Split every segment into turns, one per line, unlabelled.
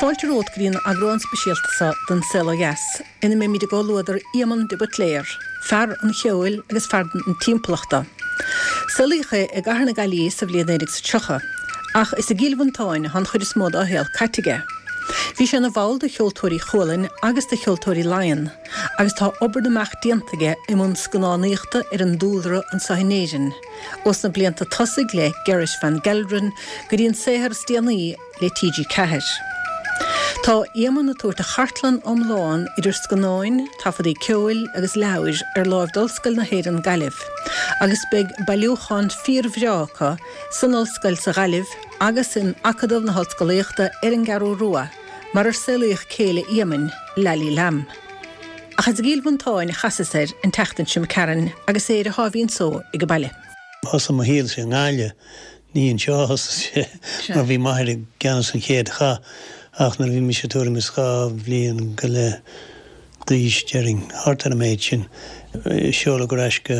Fáilte romhat go dtí an eagrán speisialta seo den Saol Ó Dheas ina mbeimid i gcomhluadar Éamonn de Buitléar, fear an cheoil agus fear na timpeallachta. Saolaíodh é i gcathair na Gaillimhe sa bhliain 1930, ach is i gCill Mhantáin atá an chuid is mó dá shaol caite aige. Bhí sé ina bhall de Cheoltóirí Chualann agus de Cheoltóirí Laighean, agus tá obair na mbeach déanta aige i mbun scannánaíochta ar an dúlra anseo in Éirinn, ós na blianta tosaigh le Gerrit van Gelderen go dtí an saothar is déanaí le TG4. Tá Éamonn ag tabhairt a chartlann iomlán idir scannáin, taifeadaí ceoil agus leabhair ar láimh d'Ollscoil na hÉireann Gaillimh agus beidh bailiúchán fíorbhreá acu san Ollscoil sa Ghaillimh agus in Acadamh na hOllscolaíochta ar an gCeathrú Rua mar ar saolaíodh céile Éamainn, Laillí Lamb. Ach is i gCill Mhantáin a chasas air an tseachtain seo imigh tharainn agus é ar a sháimhín só ag baile.
Thosaigh mo shaolsa i nGaillimh Ní anseo a thosaigh sé mar bhí m'athair i gceannas an chéad chath ach nuair a bhí mise tuairim is 2 bhliain go leith d'aois, déarfainn, thart ar an méid sin, seoladh ar ais go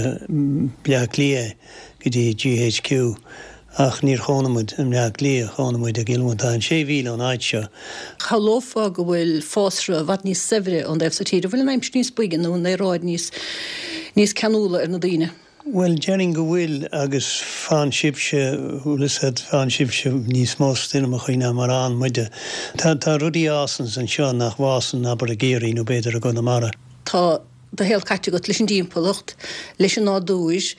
Bleá Cliath é, go dtí GHQ. Ach níor chónaigh muid i mBleá Cliath, chónaigh muid i gCill Mhantáin, sé mhíle ón áit seo.
Shamhlófá go bhfuil fásra i bhfad níos saibhre ón dtaobh so tíre. An bhfuil an aimsir níos boige nó an aeráid níos níos ceanúla ar na daoine?
Bhuel, déarfainn go bhfuil, agus faigheann sibhse, bhfuil fhios a'd, faigheann sibhse níos mó stoirmeachaí ná mar a fhaigheann muide. Tá, tá rudaí a fhásanns anseo nach bhfásann, abair, i gCiarraí nó b'fhéidir i gConamara.
Tá do shaol caite agat leis an dtimpeallacht, leis an nádúr,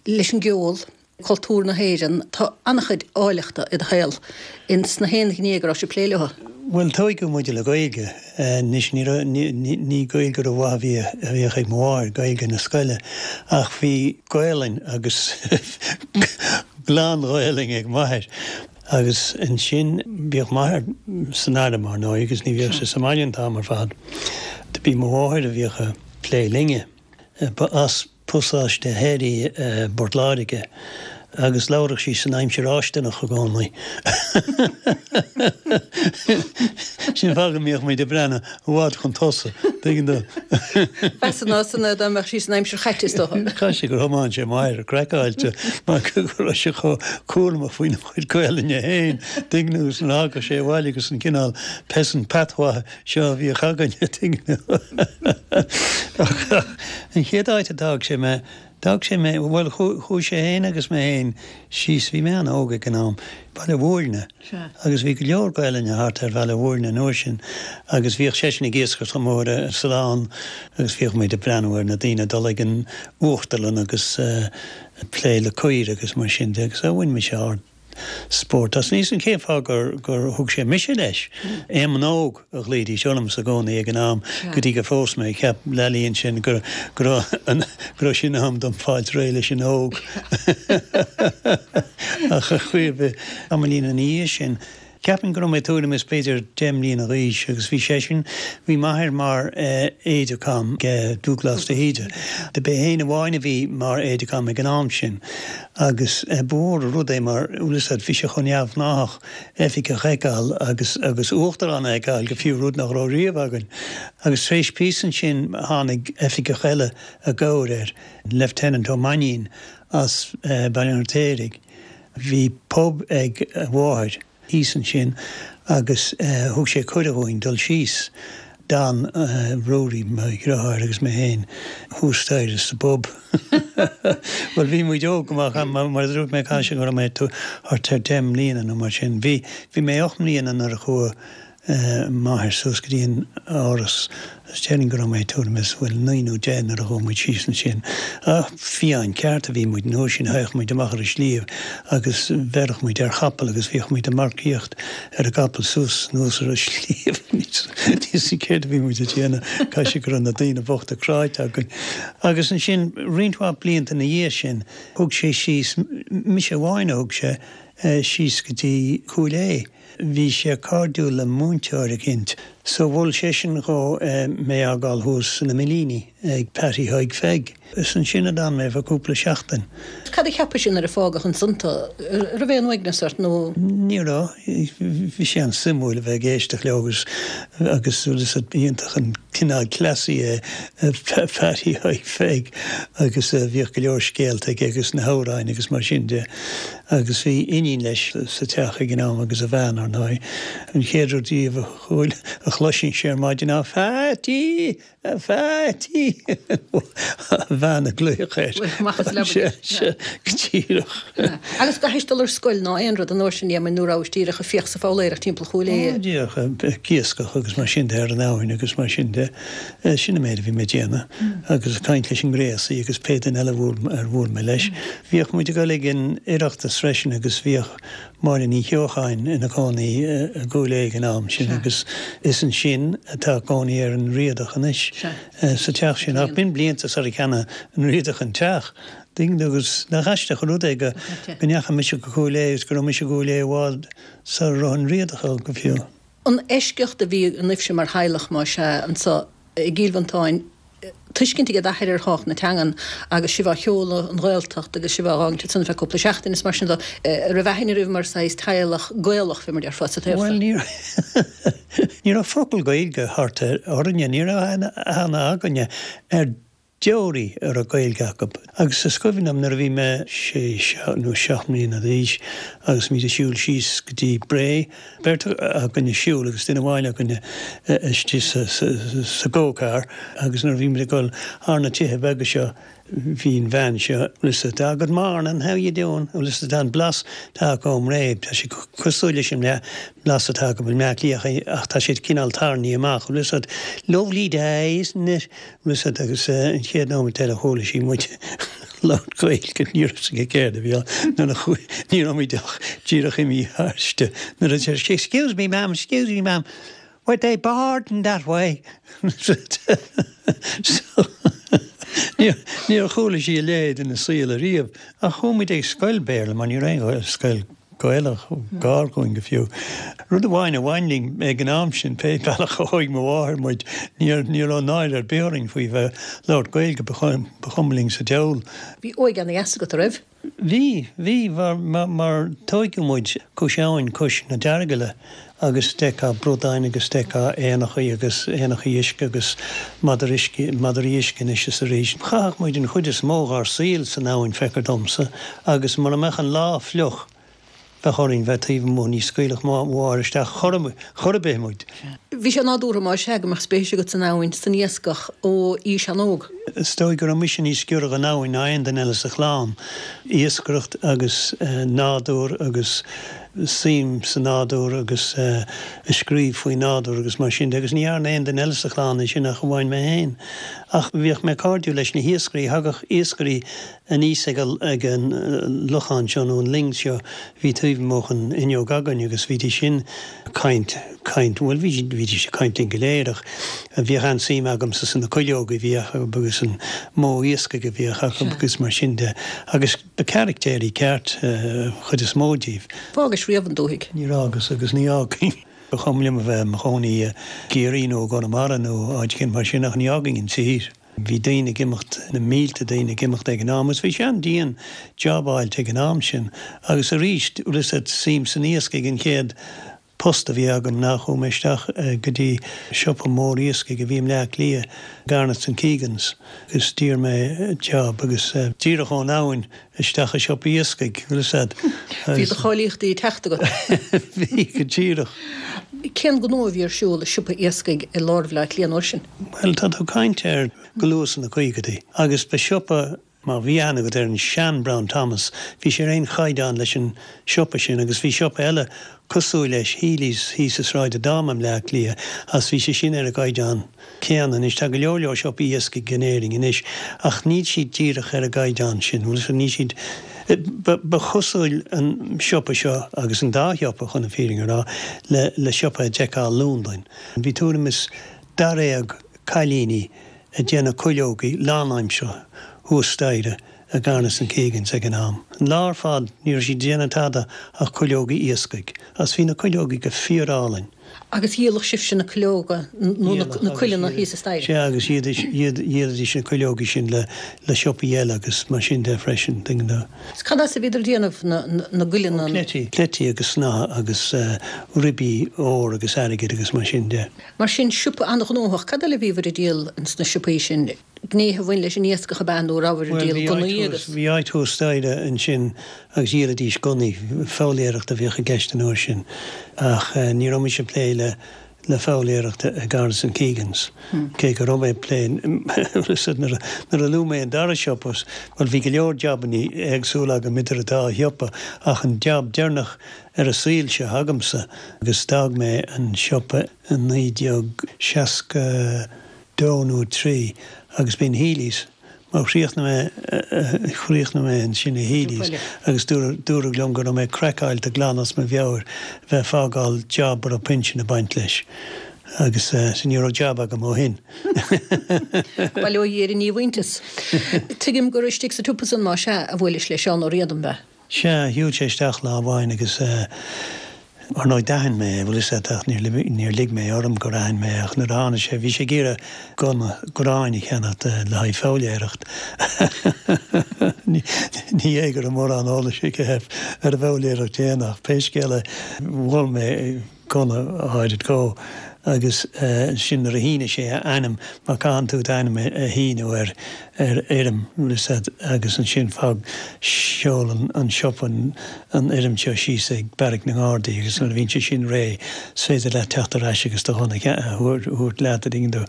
leis an gceol. cultúr na hÉireann, tá an-chuid áilleachta i do shaol ins na haon ghné go raibh sibh ag plé leo.
Bhuel, tóigeadh muid le Gaeilge. Anois, ní raibh, ní, ní Gaeilge ró-mhaith a bhí, a bhíodh ag mo mháthair, Gaeilge na scoile, ach bhí Gaelainn agus glan-Ghaelainn ag m'athair. Agus ansin, bhíodh m'athair san airm, ar ndóigh, agus ní bhíodh sé sa mbaile an t-am ar fad. Do b'í mo mháthair a bhíodh a' plé linne. Ba as Pasáiste Thoir í i bPort Láirge agus labhradh sí san aimsir fháistineach i gcónaí. Sin an fáth go mbíodh muid ag breathnú i bhfad chun tosaigh, tuigeann tú.
B'mheasa ná san dá mbeadh sí san aimsir chaite, is dócha.
Caithfidh sé gur thiomáin sé m'athair craiceáilte mar go raibh sé chomh cúramach faoina chuid Gaelainne féin, tuigeann tú, agus nuair a thagadh sé abhaile agus an cineál peasant patois seo a bhíodh againne, tuigeann tú. Ach an chéad áit a d'fhág sé mé, d'fhág sé mé, bhuel, chuaigh sé féin agus mé féin síos, bhí mé an-óg ag an am, Baile Mhúirne. Agus bhí go leor Gaelainne thart ar Bhaile Mhúirne an uair sin agus bhíodh seisean ag iascaireacht amuigh ar an sulán agus bhíodh muid ag breathnú ar na daoine ag dul ag an uachtarlann agus ag plé le caoirigh agus mar sin de agus bhain mise ard spórt as. Níl 'fhios a'm cén fáth gur gur thug sé mise leis. Éamonn Óg a ghlaoidís ormsa i gcónaí ag an am go dtí gur phós mé. Cheap Leailí ansin go go raibh an go raibh sé in am dom fáilt réidh leis an óg. Ach ar chaoi ar bith, tamaillín ina dhiaidh sin, Ceapaim go raibh mé tuairim is b'fhéidir 10 mbliana d'aois agus bhí seisean, bhí m'athair mar aide-de-camp ag Dúghlás de hÍde. Do b'é féin amháin a bhí mar aide-de-camp ag an am sin agus ba mhór an rud é mar, bhfuil fhios a'd, bhí sé chomh neamhghnáthach oifigeach a fheiceáil agus agus uachtarán a fheiceáil go fiú, rud nach raibh riamh againn. Agus tar éis píosa ansin tháinig oifigeach eile i gcabhair air, Lieutenant Ó Mainnín as Baile an Fheirtéaraigh. Bhí pub ag a mháthair thíos ansin agus thug sé cuireadh dhúinn dul síos. D'fhan Ruairí, mo dhriotháir, agus mé féin thuas staighre sa bpub. Bhuel, bhí muid óg go maith, mar a dúirt mé, caithfidh sé go raibh mé thart ar deich mbliana nó mar sin. Bhí, bhí mé 8 mbliana nuair a chuaigh m'athair suas go dtí an áras agus déarfainn go raibh mé tuairim is, bhuel, 9 nó 10 nuair a chuaigh muid síos ansin. Ach fiáin ceart a bhí muid an uair sin, théadh muid amach ar an sliabh agus bheireadh muid ar chapall agus bhíodh muid ag marcaíocht ar an gcapall suas anuas ar an sliabh. Níl 'fhios a'm céard a bhí muid ag déanamh, caithfidh sé go raibh na daoine bochta cráite againn. Agus ansin, roinnt mhaith blianta ina dhiaidh sin, thug sé síos, mise amháin a thug sé síos go dtí Cúil Aodha. Bhí sé cairdiúil le múinteoir eicínt so mhol seisean dhó mé a fhágáil thuas sna Millíní ag Patty Thaidhg Pheig. Is ansin a d'fhan mé fá cúpla seachtain.
Cad a cheapais nuair a fágadh ansan tú? Raibh aon uaigneas ort nó?
Ní raibh. Bhí sé an-suimiúil a bheith ag éisteacht leo agus agus is iontach an cineál cleasaí é Patty Thaidhg Pheig agus bhíodh go leor scéalta aige agus na hamhráin agus mar sin de. Agus bhí iníon leis sa teach ag an am agus a bhean. ar ndóigh. An chéad rud riamh a chuala, a chloisinnse ar maidin ná 'Pheaití! A Pheaití! A bhean ag glaoch air.
Amach as leaba
Sea, sea, go díreach.
Agus gcaithis dul ar scoil ná aon rud an uair sin, Éamoinn, nó rabhais díreach ag fiach 's ag foghlaeireacht timpeall Chúil Aodha?
Ó, díreach ag iascach agus mar sin de ar an abhainn agus mar sin de. Sin an méid a bhí mé ag déanamh. Agus ag caint leis an ngréasaí agus pé duine eile ar bhuail mé leis. Bhíodh muid ag dul ag an Oireachtas freisin agus bhíodh Máire Ní Cheocháin ina cónaí i gCúil Aodha ag an am sin agus is ansin atá cónaí ar an Riadach anois, sa teach sin. Ach b'in blianta sar a cheannaigh an Riadach an teach. Tuigeann tú agus nach aisteach an rud é go ndeachaigh mise go Cúil Aodha agus go raibh mise i gCúil Aodha i bhfad sar a raibh an Riadach ann go fiú.
An eisceacht a bhí ionaibhse mar theaghlach, más ea, anso i gCill Mhantáin, tuiscint ag d'athair ar thábhacht na teangan agus sibh á sheoladh an Ghaeltacht agus sibh á dh'fhágaint ansan ar feadh cúpla seachtain is mar sin de, an raibh aithne oraibh mar saghas teaghlach Gaelach, fé mar déarfá, sa taobh
Bhuel, ní ní raibh focal Gaeilge thart orainne, ní raibh aithne againne ar deoraí a raibh Gaeilge acu. Agus is cuimhin liom nuair a bhí mé sé nó seacht mbliana d'aois agus muid ag siúl síos go dtí Bré, beirt againn ag siúl agus duine amháin againne istigh sa go-car agus nuair a bhí muid ag dul thar na tithe beaga seo bhí an bhean seo, bhfuil 'fhios a'd, ah good morning, how you doing, bhfuil 'fhios a'd, an blas atá acu i mBré, tá sé cosúil leis an mblas atá acu i mBleá Cliath ach tá siad cineál tarraingthe amach, bhfuil 'fhios a'd, lovely day, isn't it? Bhfuil 'fhios a'd, agus an chéad nóiméad eile chuala sí muid ag labhairt Gaeilge, ní raibh 'fhios aici céard a bhí ann, nuair a chuaigh, ní raibh muid ach díreach imithe thairsti, nuair a deir sí, excuse me ma'am, excuse me ma'am, were they boarding that way? So, níor chuala sí a leithéid ina saol ariamh, ach chuaigh muid ag scoil Béarla mar ní raibh aon scoil Gaelach gar dhúinn go fiú. Rud amháin a bhain linn ag an am sin, pé bealach a thóig mo mháthair muid, ní raibh náire ar bith orainn faoi bheith ag labhairt Gaeilge, ba chuma linn sa diabhal.
Bhí óige ana-dheas agat, a raibh?
Bhí, bhí, mar tóigeadh muid cois abhainn, cois na Deargaile agus d'fheicfeá bradáin agus d'fheicfeá éanachaí agus éanachaí uisce agus madra uisce, madraí uisce anois is arís. Chaitheadh muid an chuid is mó dhár saol san abhainn, feictear domsa, agus mura mbeadh an lá fliuch, bheadh orainn bheith taobh amuigh, ní scaoilfeadh mo mháthair isteach chor, chor ar bith muid.
Bhí sé nádúrtha, más ea, go mbeadh spéis agat san abhainn, san iascach ó aois an-óg.
Is dóigh go raibh mise níos giorra dhon abhainn ná aon duine eile sa chlann. Iascaireacht agus nádúr agus suim sa nádúr agus ag scríobh faoin nádúr agus mar sin de agus ní dhearna aon duine eile sa chlann é sin ach amháin mé féin. Ach bhíodh mé cairdiúil leis na hiascairí, thagadh iascairí aníos ag ag an lochán seo nó an linn seo a bhí taobh amuigh den fhuinneog againn agus bhídís sin ag caint, caint, bhuel bhí bhídís ag caint linn go léir ach bhíodh an-suim agamsa sna cuileoga a bhí acu agus an modh iascaigh a bhíodh acu agus mar sin de agus Ba caractéirí ceart an chuid is mó díobh.
Fhágais riamh an dúthaigh?
Níor fhágas agus ní fhágfainn. Ba chuma liom a bheith i mo chónaí i gCiarraí nó i gConamara nó áit éicint mar sin ach ní fhágfainn an tír. Bhí daoine ag imeacht, na mílte daoine ag imeacht ag an am agus bhí sé an-dian job a fháilt ag an am sin. Agus arís, bhfuil 'fhios a'd, suim san iascaigh an chéad post a bhí agam ná chuaigh mé isteach go dtí siopa mór iascaigh a bhí i mBleá Cliath, Garnetts and Keegans, agus d'iarr mé job agus díreach ón abhainn isteach i siopa iascaigh, bhfuil 'fhios a'd.
Bhí do cháilíochtaí ag teacht agat.
Bhí, go díreach.
Cén gnó a bhí ar siúl i siopa iascaigh i lár Bhaile Átha Cliath an uair sin?
Bhuel, tá tú ag caint ar go luath sna caogaidí agus ba siopa Má bhí aithne agat ar an sean Brown Thomas, bhí sé ar aon chaighdeán leis an siopa sin agus bhí siopa eile cosúil leis, Healy's, thíos i Sráid Dáma i mBleá Cliath agus bhí sé sin ar an gcaighdeán céanna. Anois tá go leor leor siopaí iascaigh in Éirinn anois ach níl siad díreach ar an gcaighdeán sin, bhfuil 'fhios a'd, níl siad, ba, ba chosúil an siopa seo agus an dá shiopa chun an fírinne a rá le, le siopa a d'fheicfeá i Londain. Bhí tuairim is daréag cailíní ag déanamh cuileogaí lánaimseartha thuas staighre i Garnetts and Keegans ag an am. An lá ar fad ní raibh siad ag déanamh tada ach cuileogaí iascaigh. Agus bhí na cuileogaí go fíorálainn.
Agus dhíoladh sibhse na cuileoga nó na cuileanna thíos an staighre?
Sea, agus dhíolaidís na cuileogaí sin le siopaí eile agus mar sin de freisin, tuigeann tú.
Is cad as a bhíodar ag déanamh na gcuileanna?
Ó, cleití. Cleití agus snátha agus ribí óir agus airgid agus mar sin de.
Mar sin, siopa an-ghnóthach. Cad eile a bhíobhair ag díol ins na siopaí sin? Gnéithe a bhain leis an iascach ab ea nó rabhabhair ag díol gunnaí agus.
Bhí áit thuas staighre ansin agus dhíolaidís gunnaí, foghlaeireacht a bhíodh i gceist an uair sin ach ní raibh mise ag plé le le foghlaeireacht i Garrison Keegans cé go raibh mé ag plé nuair a luaigh mé an dara siopa, bhuel bhí go leor jabannaí éagsúla agam idir an dá shiopa ach an jab deireanach ar an saol seo agamsa agus d'fhág mé an siopa i 1960. 2 nó 3 agus b'in Healy's mar chríochnaigh mé chríochnaigh mé ansin i Healy's agus dúradh liom go raibh mé craiceáilte glan as mo mheabhair bheith fágáil job a raibh pinsean ag baint leis agus so ní raibh job agam ó shin.
Bail ó Dhia ar an ndíomhaointeas. Tuigim gur istigh sa tsiopa san, más ea, a bhuailis le Seán Ó Riada, ab ea?
Sea, shiúil sé isteach lá amháin agus ar ndóigh d'aithin mé é, bhfuil 'fhios a'd, ach níor lig mé orm gur aithin mé é ach nuair a tháinig sé, bhí sé ag iarraidh gunna gráin a cheannacht le haghaidh foghlaeireacht. Ní hé go raibh mórán eolais aige ar an bhfoghlaeireacht féin ach pé scéal é, mhol mé gunna áirid dhó agus sin nuair a shínigh sé a ainm, mar caitheann tú d'ainm a shíniú ar ar fhoirm, bhfuil 'fhios a'd, agus ansin fág, seolann an siopa an fhoirm seo síos ag Beairic na nGardaí agus nuair a bhíonn sé sin réidh is féidir leat teacht ar ais agus do ghunna a thabhairt leat, a dtuigeann tú.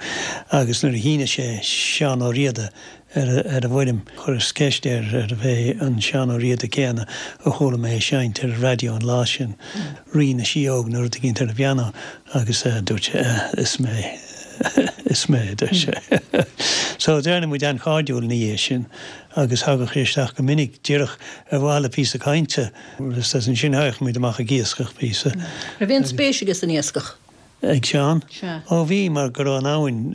Agus nuair a shínigh sé Seán Ó Riada ar an bhfoirm. Chuireas ceist air arbh é an Seán Ó Riada céanna a chuala mé ag seinnt ar an raidió an lá sin, Rí na Síóg nó rud eicínt ar an bpianó, agus dúirt sé, Is mé, is mé, a deir sé. So d'éirigh muid an-chairdiúil ina dhiaidh sin agus thagadh sé isteach go minic, díreach ar mhaithe le píosa cainte. Agus ansin thagadh muid amach ag iascach píosa.
Raibh aon spéis aige san iascach?
Ag Seán?
Sea.
Ó bhí, mar go raibh an abhainn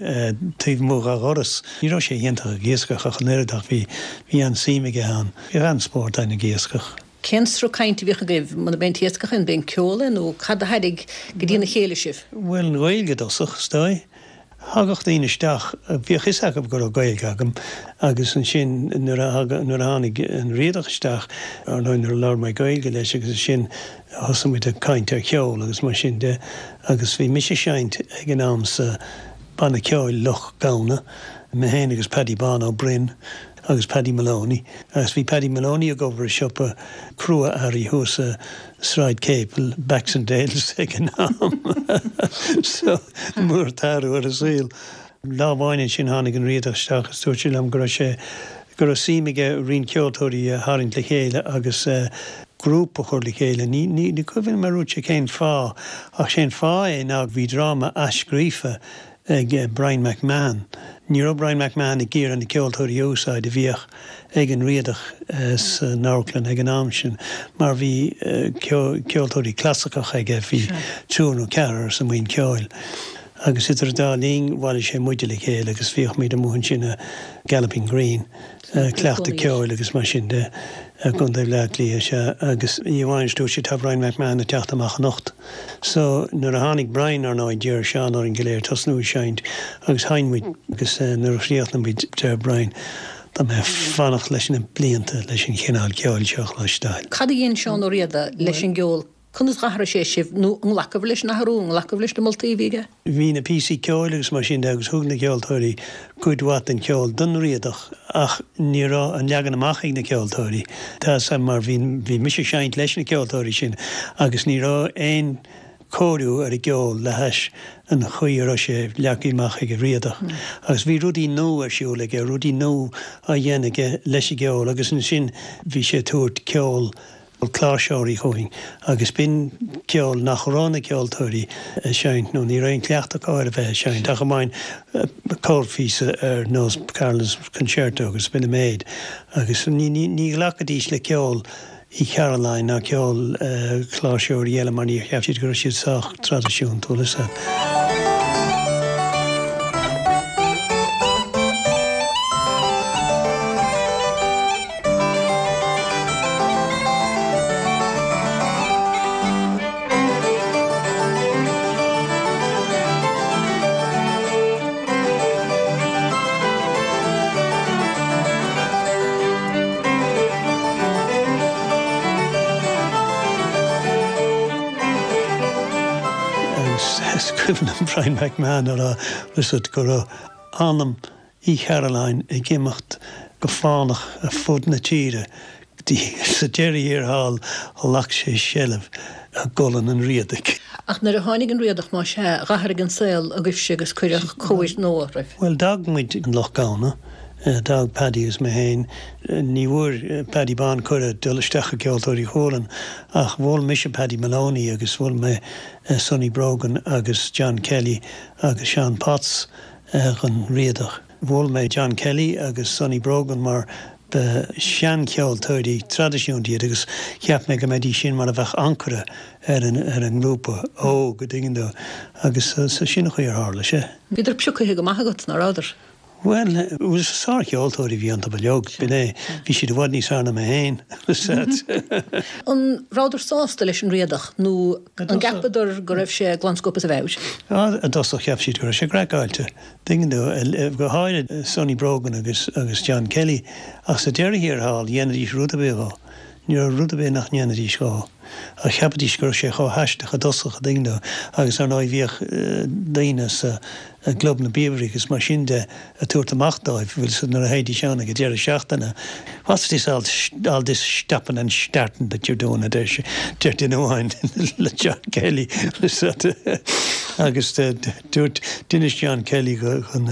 taobh amuigh dha dhoras. Ní raibh sé iontach ag iascach ach an oiread ach bhí, bhí an-suim aige ann. Bhíodh an-spórt againn ag iascach.
Cén sruth cainte a bhíodh agaibh? Muna b'é an t-iascach é, an b'é an ceol é nó cad a tharraing go dtína chéile sibh?
Bhuel, an Ghaeilge i dtosach, is dóigh. Thagadh daoine isteach, bhíodh fhios acu go raibh Gaeilge agam agus ansin nuair a nuair a tháinig an Riadach isteach, ar ndóigh nuair a labhair mé Gaeilge leis agus ansin thosaigh muid ag caint ar cheol agus mar sin de agus bhí mise ag seinnt ag an am sa banna ceoil Loch Gamhna, mé féin agus Paddy Bán Ó Broin agus Paddy Moloney agus bhí Paddy Moloney ag obair i siopa crua-earraí thuas i Sráid Capel, Baxendales ag an am so mór an t-athrú ar an saol. Lá amháin ansin tháinig an Riadach isteach agus dúirt sé liom go raibh sé, go raibh suim aige roinnt ceoltóirí a tharraingt le chéile agus grúpa a chur le chéile. Ní, ní, ní cuimhin liom ar dhúirt sé cén fáth ach sé'n fáth é ná bhí dráma athscríofa ag Brian McMahon. Ní raibh Brian McMahon ag iarraidh na ceoltóirí a úsáid a bhíodh ag an Riadach san amharclann ag an am sin mar bhí ceoltóirí clasaiceacha aige, bhí triúr nó ceathrar sa mbuíon ceoil. Agus idir an dá linn bhailigh sé muide le chéile agus bhíodh muid amuigh ansin i Galloping Green. cleachtadh ceoil agus mar sin de i gContae Bhleá Cliath, sea, agus oíche amháin dúirt sé tá Brian McMahon ag teacht amach anocht. So nuair a tháinig Brian, ar ndóigh, d'iarr Seán orainn go léir tosnú ag seinnt agus sheinn muid agus nuair a chríochnaigh muid deir Brian tá mé ag fanacht leis na blianta leis an chineál ceoil seo a chloisteáil.
Cad a dhein Seán Ó Riada leis an gceol Conas d'athraigh sé sibh, nó an nglacabhair leis an athrú, an nglacabhair leis na moltaí a bhí aige?
Bhí na píosaí ceoil agus mar sin de agus thug na ceoltóirí cuid mhaith den cheol don Riadach ach ní raibh an leagan amach ag na ceoltóirí. Tá 'fhios a'm mar bhí, bhí mise ag seinnt leis na ceoltóirí sin agus ní raibh aon chóiriú ar an gceol le hais an chaoi a raibh sé leagtha amach ag an Riadach. Agus bhí rudaí nua ar siúl aige, rudaí nua á dhéanamh aige leis an gceol agus ansin bhí sé ag tabhairt ceol cláirseoirí chugainn agus b'in ceol nach raibh na ceoltóirí ag seinnt nó ní raibh aon chleachtadh acu ar a bheith ag seinnt ach amháin corrphíosa ar nós Carolan's Concerto agus b'in an méid agus ní ní ghlacfaidís le ceol Uí Chearúlláin ná ceol cláirseoirí eile mar ní cheap siad go raibh siad sách traidisiúnta, bhfuil 'fhios a'd. Agus is cuimhin liom Brian McMahon a rá, bhfuil 'fhios a'd, go raibh anam. Uí Chairealláin ag imeacht go fánach ar fud na tíre go dtí sa deireadh thiar thall ghlac sé seilbh ar gholann an Riadaigh.
Ach nuair a tháinig an Riadach, más ea, dh'athraigh an saol agaibhse agus cuireadh cóir nua oraibh.
Bhuel, d'fhág muid an Loch Gamhna, d'fhág Paddy agus mé féin. Ní bhfuair Paddy Bán cuireadh dul isteach i gCeoltóirí Chualann ach mhol mise Paddy Moloney agus mhol mé Sonny Brogan agus John Kelly agus Seán Potts dhon Riadach. Mhol mé John Kelly agus Sonny Brogan mar ba sheancheoltóirí traidisiúnta iad agus cheap mé go mbeidís sin mar a bheadh ancaire ar an ar an ngrúpa óg, a' dtuigeann tú, agus so sin an chaoi ar tharla sé.
Bhíodar piocaithe go maith agat, ná rabhadar?
Bhuel, sárcheoltóirí a bhí iontu uilig, b'in é. Bhí siad i bhfad níos fearr ná mé féin.
An rabhadar sásta leis an Riadach nó an gceapadar go raibh sé glan scuabtha as a mheabhair?
I dtosach cheap siad go raibh sé craiceáilte, tuigeann tú, go háirid Sonny Brogan agus agus John Kelly, ach sa deireadh thiar thall dhéanfaidís rud ar bith dhó. Ní raibh rud ar bith nach ndéanfaidís dhó. Ach cheapaidís go raibh sé chomh haisteach i dtosach, a dtuigeann tú, agus ar ndóigh bhíodh daoine sa gClub na bPíobairí agus mar sin de ag tabhairt amach dóibh, bhfuil 'fhios a'd, nuair a théidís ann ag an deireadh seachtaine, What's this all, all this stopping and starting that you're doing, a deir sé, deir duine amháin le John Kelly, bhfuil 'fhios a'd. Agus dúirt, d'inis John Kelly dhon,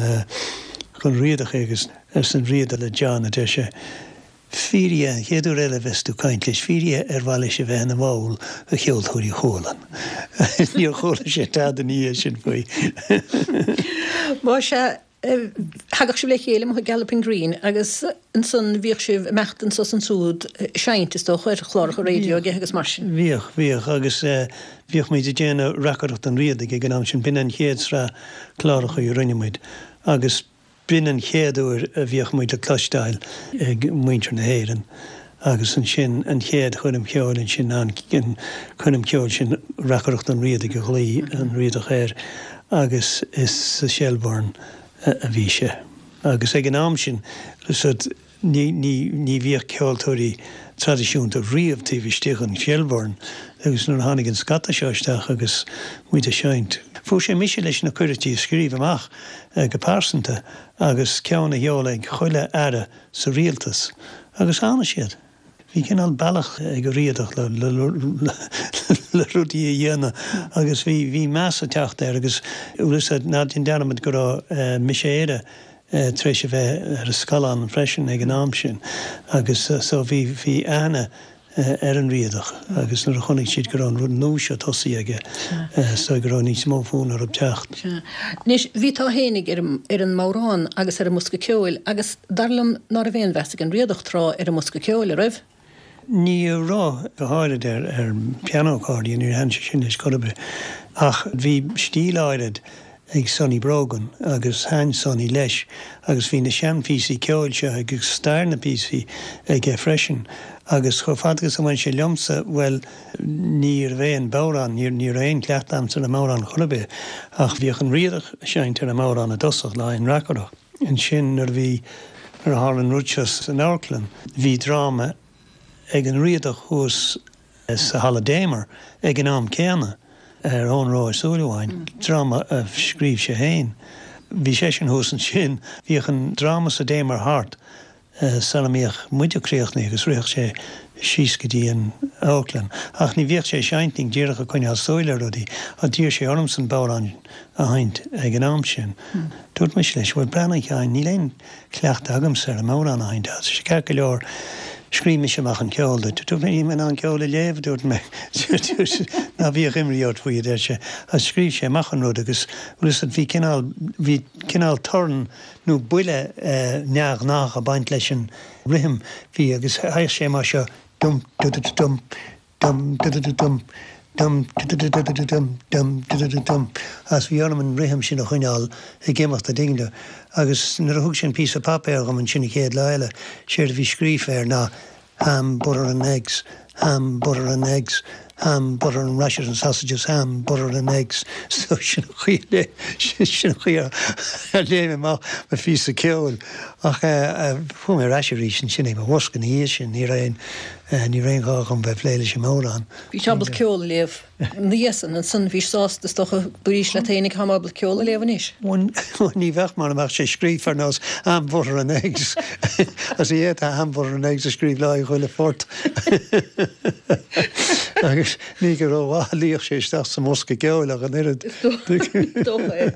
dhon Riadach é agus arsa an Riadach le John, a deir sé, Fiafraigh dhe, an chéad uair eile a bheas tú ag caint leis, fiafraigh dhe ar mhaith leis a bheith ina bhall de Cheoltóirí Chualann. Níor chuala sé tada ina dhiaidh sin faoi.
Más ea, thagadh sibh le chéile amuigh i Galloping Green agus ansan bhíodh sibh ag imeacht anso is ansúd ag seinnt, is dócha, ar chláracha raidió aige agus mar sin.
Bhíodh, bhíodh agus bhíodh muid ag déanamh reacaireacht an Riadaigh ag an am sin, b'in an chéad sraith cláracha a rinne muid agus B'in an chéad uair a bhíodh muid le cloisteáil ag muintir na hÉireann agus ansin an chéad choirm cheoil ansin an choirm cheoil sin Reacaireacht an Riadaigh a ghlaoigh an Riadach air agus is sa Shelbourne a bhí sé. Agus ag an am sin, Ní, ní, ní bhíodh ceoltóirí traidisiúnta riamh taobh istigh den Shelbourne agus nuair a tháinig an scata seo isteach agus muid ag seinnt, fuair sé mise leis na cuirití a scríobh amach go pearsanta agus ceann a sheoladh ag chuile aire sa rialtas agus tháinig siad. Bhí cineál bealach ag an Riadach le, le, le rudaí a dhéanamh agus bhí, bhí meas ag teacht air agus bhfuil 'fhios a'd, ná déan dearmad go raibh Mise Éire tar éis a bheith ar an scaileán freisin ag an am sin agus so bhí bhí aithne ar an Riadach agus nuair a chonaic siad go raibh an rud nua seo tosaithe aige so go raibh níos mó fonn orthu teacht.
Sea. Anois bhí tú fhéinig ar an ar an mbodhrán agus ar an mbosca ceoil agus dar liom ná raibh aon mheas ag an Riadach tráth ar an mbosca ceoil, a raibh?
Ní raibh, go háirid ar ar piano accordion, níor thaitin sé sin leis chor ar bith. Ach bhí stíl áirid ag Sonny Brogan agus thaitin Sonny leis agus bhí na seanphíosaí ceoil seo agus stair na bpíosaí aige freisin. Agus chomh fada agus a bhain sé liomsa, bhuel, ní raibh aon bhodhrán, ní ní raibh aon chleachtadh a'msa ar an mbodhrán chor ar bith ach bhíodh an Riadach ag seinnt ar an mbodhrán i dtosach le haghaidh an reacaireacht. Ansin nuair a bhí, nuair a tharla an rud seo san amharclann, bhí dráma ag an Riadach thuas sa Halla Damer ag an am céanna, ar Eoghan Rua Ó Súilleabháin, dráma a scríobh sé féin. Bhí seisean thuas ansin. Bhíodh an dráma sa Damer thart sara mbíodh muide críochnaithe agus ritheadh sé síos go dtí an amharclann. Ach ní bhíodh sé ag seinnt, díreach ag coinneáil súil ar rudaí. Ach d'iarr sé ormsa an bodhrán a sheinnt ag an am sin. Dúirt mise leis, bhuel, breathnaigh, a Sheáin, níl aon chleachtadh agamsa ar an mbodhrán a sheinnt. Arsa sé, ceart go leor, scríobh mise amach an ceol duit. Dúirt mé, níl mé in ann ceol a léamh, a dúirt mé. Ná bíodh imní ort faoi, a deir sé. Agus scríobh sé amach an rud agus, bhfuil 'fhios a'd, bhí cineál, bhí cineál torann nó buille neamhghnách ag baint leis an rithim. Bhí, agus théadh sé mar seo, dum du du du dum, dum du du du dum, dum du du du du du dum, dum du du du dum. Agus bhí orm an rithim sin a choinneáil ag imeacht, a' dtuigeann tú. Agus nuair a thug sé an píosa páipéir dhom ansin an chéad lá eile, séard a bhí scríofa air ná ham, butter and eggs, ham, butter and eggs, ham, butter and rashers and sausages, ham, butter and eggs. So sin an chaoi a léigh, sin an chaoi a léigh mé amach mo phíosa ceoil. Ach chuaigh mé ar ais arís ansin ag mo bhosca ina dhiaidh sin, ní raibh aon, ní raibh aon ghá dhom bheith ag plé leis an mbodhrán.
Bhís ábalta ceol a léamh ina dhiaidh san, ansan bhís sásta is dócha, dúraís leat féinig táim ábalta ceol a léamh anois.
Bhuel, ní bheadh mura mbeadh sé scríofa ar nós ham, butter and eggs. Agus ní fhéadfá ham, butter and eggs a scríobh le haghaidh chuile phort. Agus ní go rómhaith a luíodh sé isteach sa mbosca ceoil ach an oiread.
Is dócha é.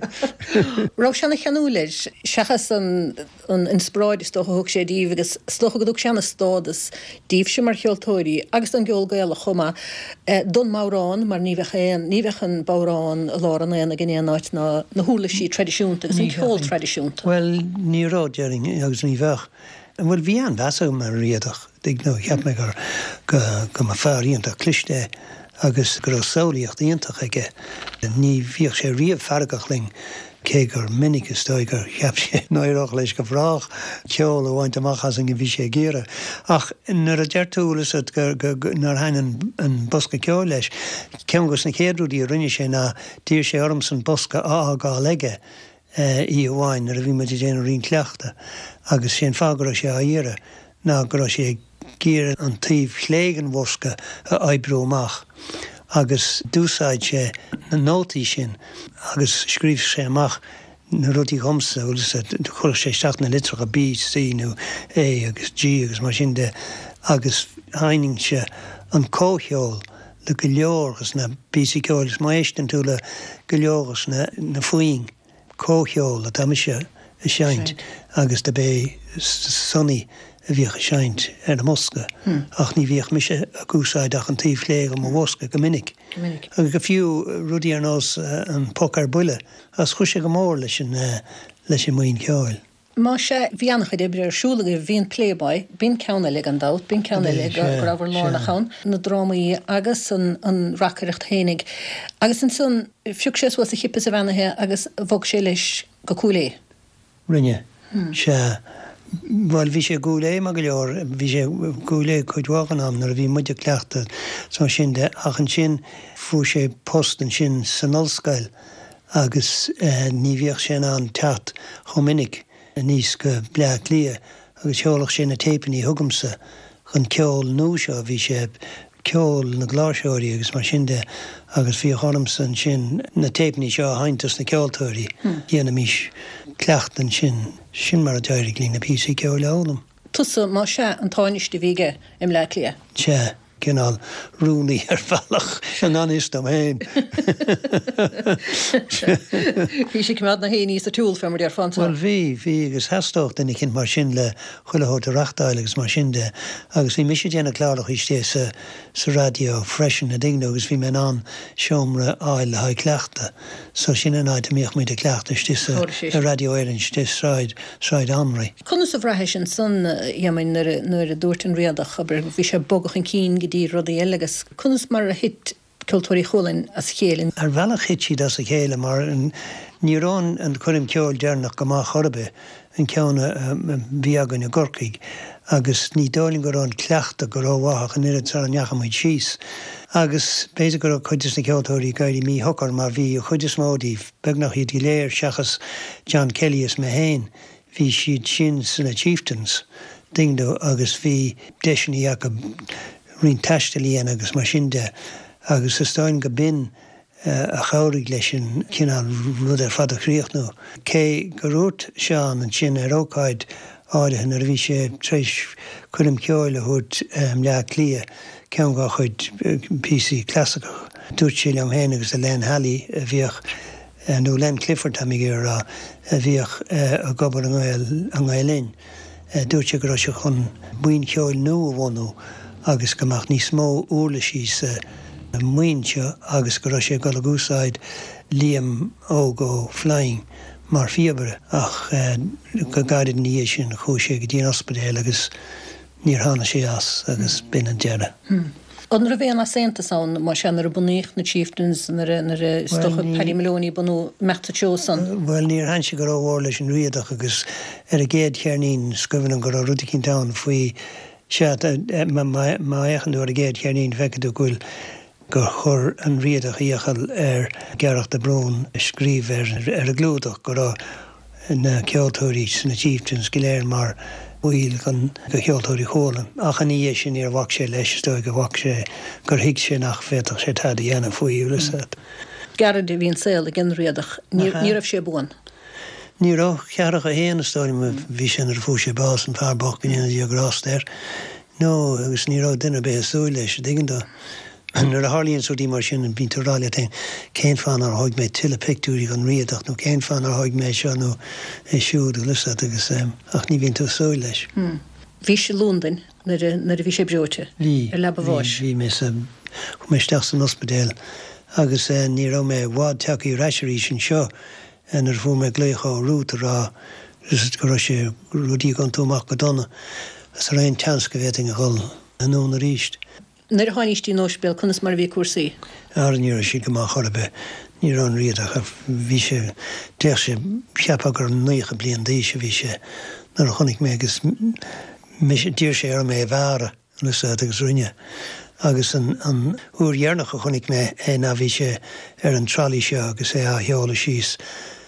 Raibh sé ana cheanúil air, seachas an an inspioráid is dócha a thug sé díbh agus is dócha go dtug sé ana stádas díbhse mar cheoltóirí agus don gceol Gaelach chomh maith, don mbodhrán mar ní bheadh aon, ní bheadh an bodhrán i lár an aonaigh in aon áit ná na huirlisí traidisiúnta agus an ceol traidisiúnta.
Bhuel, ní raibh, déarfainn, agus ní bheadh. Bhuel, bhí an-mheas agam ar an Riadach, dtuigeann tú, cheap mé gur, go, go mba fear iontach cliste é agus go raibh samhlaíocht iontach aige. Ní bhíodh sé riamh feargach linn, cé gur minic is dóigh gur cheap sé n-éireodh leis go brách ceol a bhaint amach asainn a bhí sé ag iarraidh. Ach nuair a deir tú, bhfuil fhios agat, go, go, go, nár thaitin an, an bosca ceoil leis, ceann dos na chéad rudaí a rinne sé ná d'iarr sé ormsa an bosca a fhágáil aige oíche amháin nuair a bhí muid ag déanamh roinnt cleachta agus sé an fáth go raibh sé á iarraidh ná go raibh sé ag iarraidh an taobh chlé den bhosca a oibriú amach agus d'úsáid sé na nótaí sin agus scríobh sé amach na rudaí dhomsa, bhfuil fhios agat, chuirfeadh sé isteach na litreacha B, C nó A agus G agus mar sin de agus sheinninnse an comhcheol le go leor dos na píosaí ceoil is má éisteann tú le go leor dos na foinn, comhcheol atá mise a seinnt agus do b'é Sonny a bhíodh a seinnt ar an mbosca ach ní bhíodh mise ag úsáid ach an taobh chlé de mo bhosca go minic. Agus go fiú rudaí ar nós an Poc ar Buile agus chuir sé go mór leis an leis an mbuíon ceoil.
Más ea, bhí an-chuid oibre ar siúl agaibh. Bhí an Playboy, b'in ceann eile gan dabht, b'in ceann eile go rabhabhair lárnach ann, na drámaí agus an reacaireacht fhéinig. Agus ansan, phioc sé suas a chip is a bheannaithe agus bhog sé leis go Cúil Aodha.
Rinne. Sea. Bhuel, bhí sé i gCúil Aodha maith go leor, bhí sé i gCúil Aodha cuid mhaith den am nuair a bhí muid ag cleachtadh is mar sin de ach ansin fuair sé post ansin san ollscoil agus ní bhíodh sé in ann teacht chomh minic aníos go Bleá Cliath agus sheolfadh sé na téipeanna chugamsa den cheol nua seo, bhí sé ceol na gcláirseoirí agus mar sin de agus bhíodh ormsa ansin na téipeanna seo a sheinnt dos na ceoltóirí, dhéanaimís cleachtadh ansin, sin mar a d'éirigh linn na píosaí ceoil a fhoghlaim.
Tusa, más ea, an táiniste a bhí aige i mBleá Cliath.
Sea. cineál rúnaí ar bhealach i ngan fhios dom féin.
Bhí sé ag coimeád na héiní sa tsiúl, fé mar déarfá
anso. Bhuel bhí, bhí agus theastódh duine eicínt mar sin le chuile shórt a reachtáil agus mar sin de agus bhí mise ag déanamh cláracha istigh sa, sa raidió freisin, a' dtuigeann tú, agus bhí mé in ann seomra a fháil le haghaidh cleachtadh so sin an áit a mbíodh muid ag cleachtadh istigh sa, i Raidió Éireann istigh Sráid, Sráid Anraí.
Conas a bhraithis ansan, a Éamoinn, nuair a dúirt an Riadach, abair, bhí sé ag bogadh chun cinn go dtí rudaí eile agus conas mar a thit Ceoltóirí Chualann as a chéile?
Ar bhealach thit siad as a chéile mar ní raibh an choirm ceoil deireanach go maith chor ar bith, an ceann a bhí againn i gCorcaigh, agus ní dóigh liom go raibh an cleachtadh go rómhaith ach an oiread sara ndeachaigh muid síos. Agus b'fhéidir go raibh cuid des na ceoltóirí ag éirí míshocair mar bhí an chuid is mó díobh, beagnach iad go léir seachas John Kelly is mé féin, Bhí siad sin sna Chieftains, dtuigeann tú, agus bhí deiseanna acu roinnt taistil a dhéanamh agus mar sin de agus is dóigh liom go b'in a chabhraigh leis an chineál rud ar fad a chríochnú. Cé gur dhúirt Seán ansin ar ócáid áirithe nuair a bhí sé tar éis coirm cheoil a thabhairt i mBleá Cliath, ceann dá chuid píosaí clasaiceacha, dúirt sé liom féin agus le Len Halley a bhíodh nó Len Clifford táim ag iarraidh a rá, a bhíodh ag obair i nGael Linn. Dúirt sé go raibh sé chun buíon cheoil nua a bhunú agus go mbeadh níos mó uirlisí sa mbuíon seo agus go raibh sé ag dul ag úsáid Liam Óg Ó Floinn mar phíobaire ach go gairid ina dhiaidh sin chuaigh sé go dtí an ospidéal agus Níor tháinig sé as agus b'in an deireadh.
An raibh aon easaontas ann, más ea, nuair a bunaíodh na Chieftains, nuair a, nuair a, is dócha, Paddy Moloney bunú imeacht sa treo san?
Bhuel, níor thaitin sé go rómhór leis an Riadach agus ar an gcéad cheirnín is cuimhin liom go raibh rud eicínt ann faoi, sea, má fhéachann tú ar an gcéad cheirnín feicfidh tú go bhfuil, gur chuir an Riadach iachall ar Gearach de Brún scríobh ar an gclúdach go raibh. na ceoltóirí sna Chieftains go léir mar bhaill de Cheoltóirí Chualann. Ach ina dhiaidh sin níor bhac sé leis, is dóigh gur bhac sé, gur thuig sé nach bhféadfadh sé tada a dhéanamh faoi, bhfuil 'fhios a'd.
Gairid a bhí an saol ag an Riadach. Ní raibh sé buan.
Ní raibh. 41 is dóigh liom a bhí sé nuair a fuair sé bás, an fear bocht, go ndéana Dia grásta air. No, agus ní raibh duine ar bith ag súil leis, an dtuigeann tú. Nuair a tharlaíonns rudaí mar sin, bíonn tú ag rá leat féin, cén fáth nár thóig mé tuilleadh pictiúirí den Riadach nó cén fáth nár thóig mé seo nó é siúd, bhfuil 'fhios a'd, agus, ach ní bhíonn tú ag súil leis.
Bhís i Londain nuair a, nuair a bhí sé breoite?
Bhí,
Ar leaba
bhí,
bháis?
bhí mé sa, chuaigh mé isteach san ospidéal agus ní raibh mé i bhfad tagtha ar ais arís anseo nuair a fuair mé glaoch ó Ruth ag rá go raibh sé, rudaí ag iontú amach go dona agus an raibh aon tseans go bhféadfainn a dhul anonn arís.
Nuair a tháinís dtí an ospidéal conas mar a bhí cúrsaí?
Ara ní raibh siad go maith chor ar bith. Ní raibh an Riadach, bhí sé, d'fhéach sé, cheapfá gur 90 bliain d'aois a bhí sé nuair a chonaic mé agus mise, d'iarr sé orm é a bhearradh. Bhfuil 'fhios a'd agus rinne. Agus an an uair dheireanach a chonaic mé é ná bhí sé ar an trolley seo agus é á sheoladh síos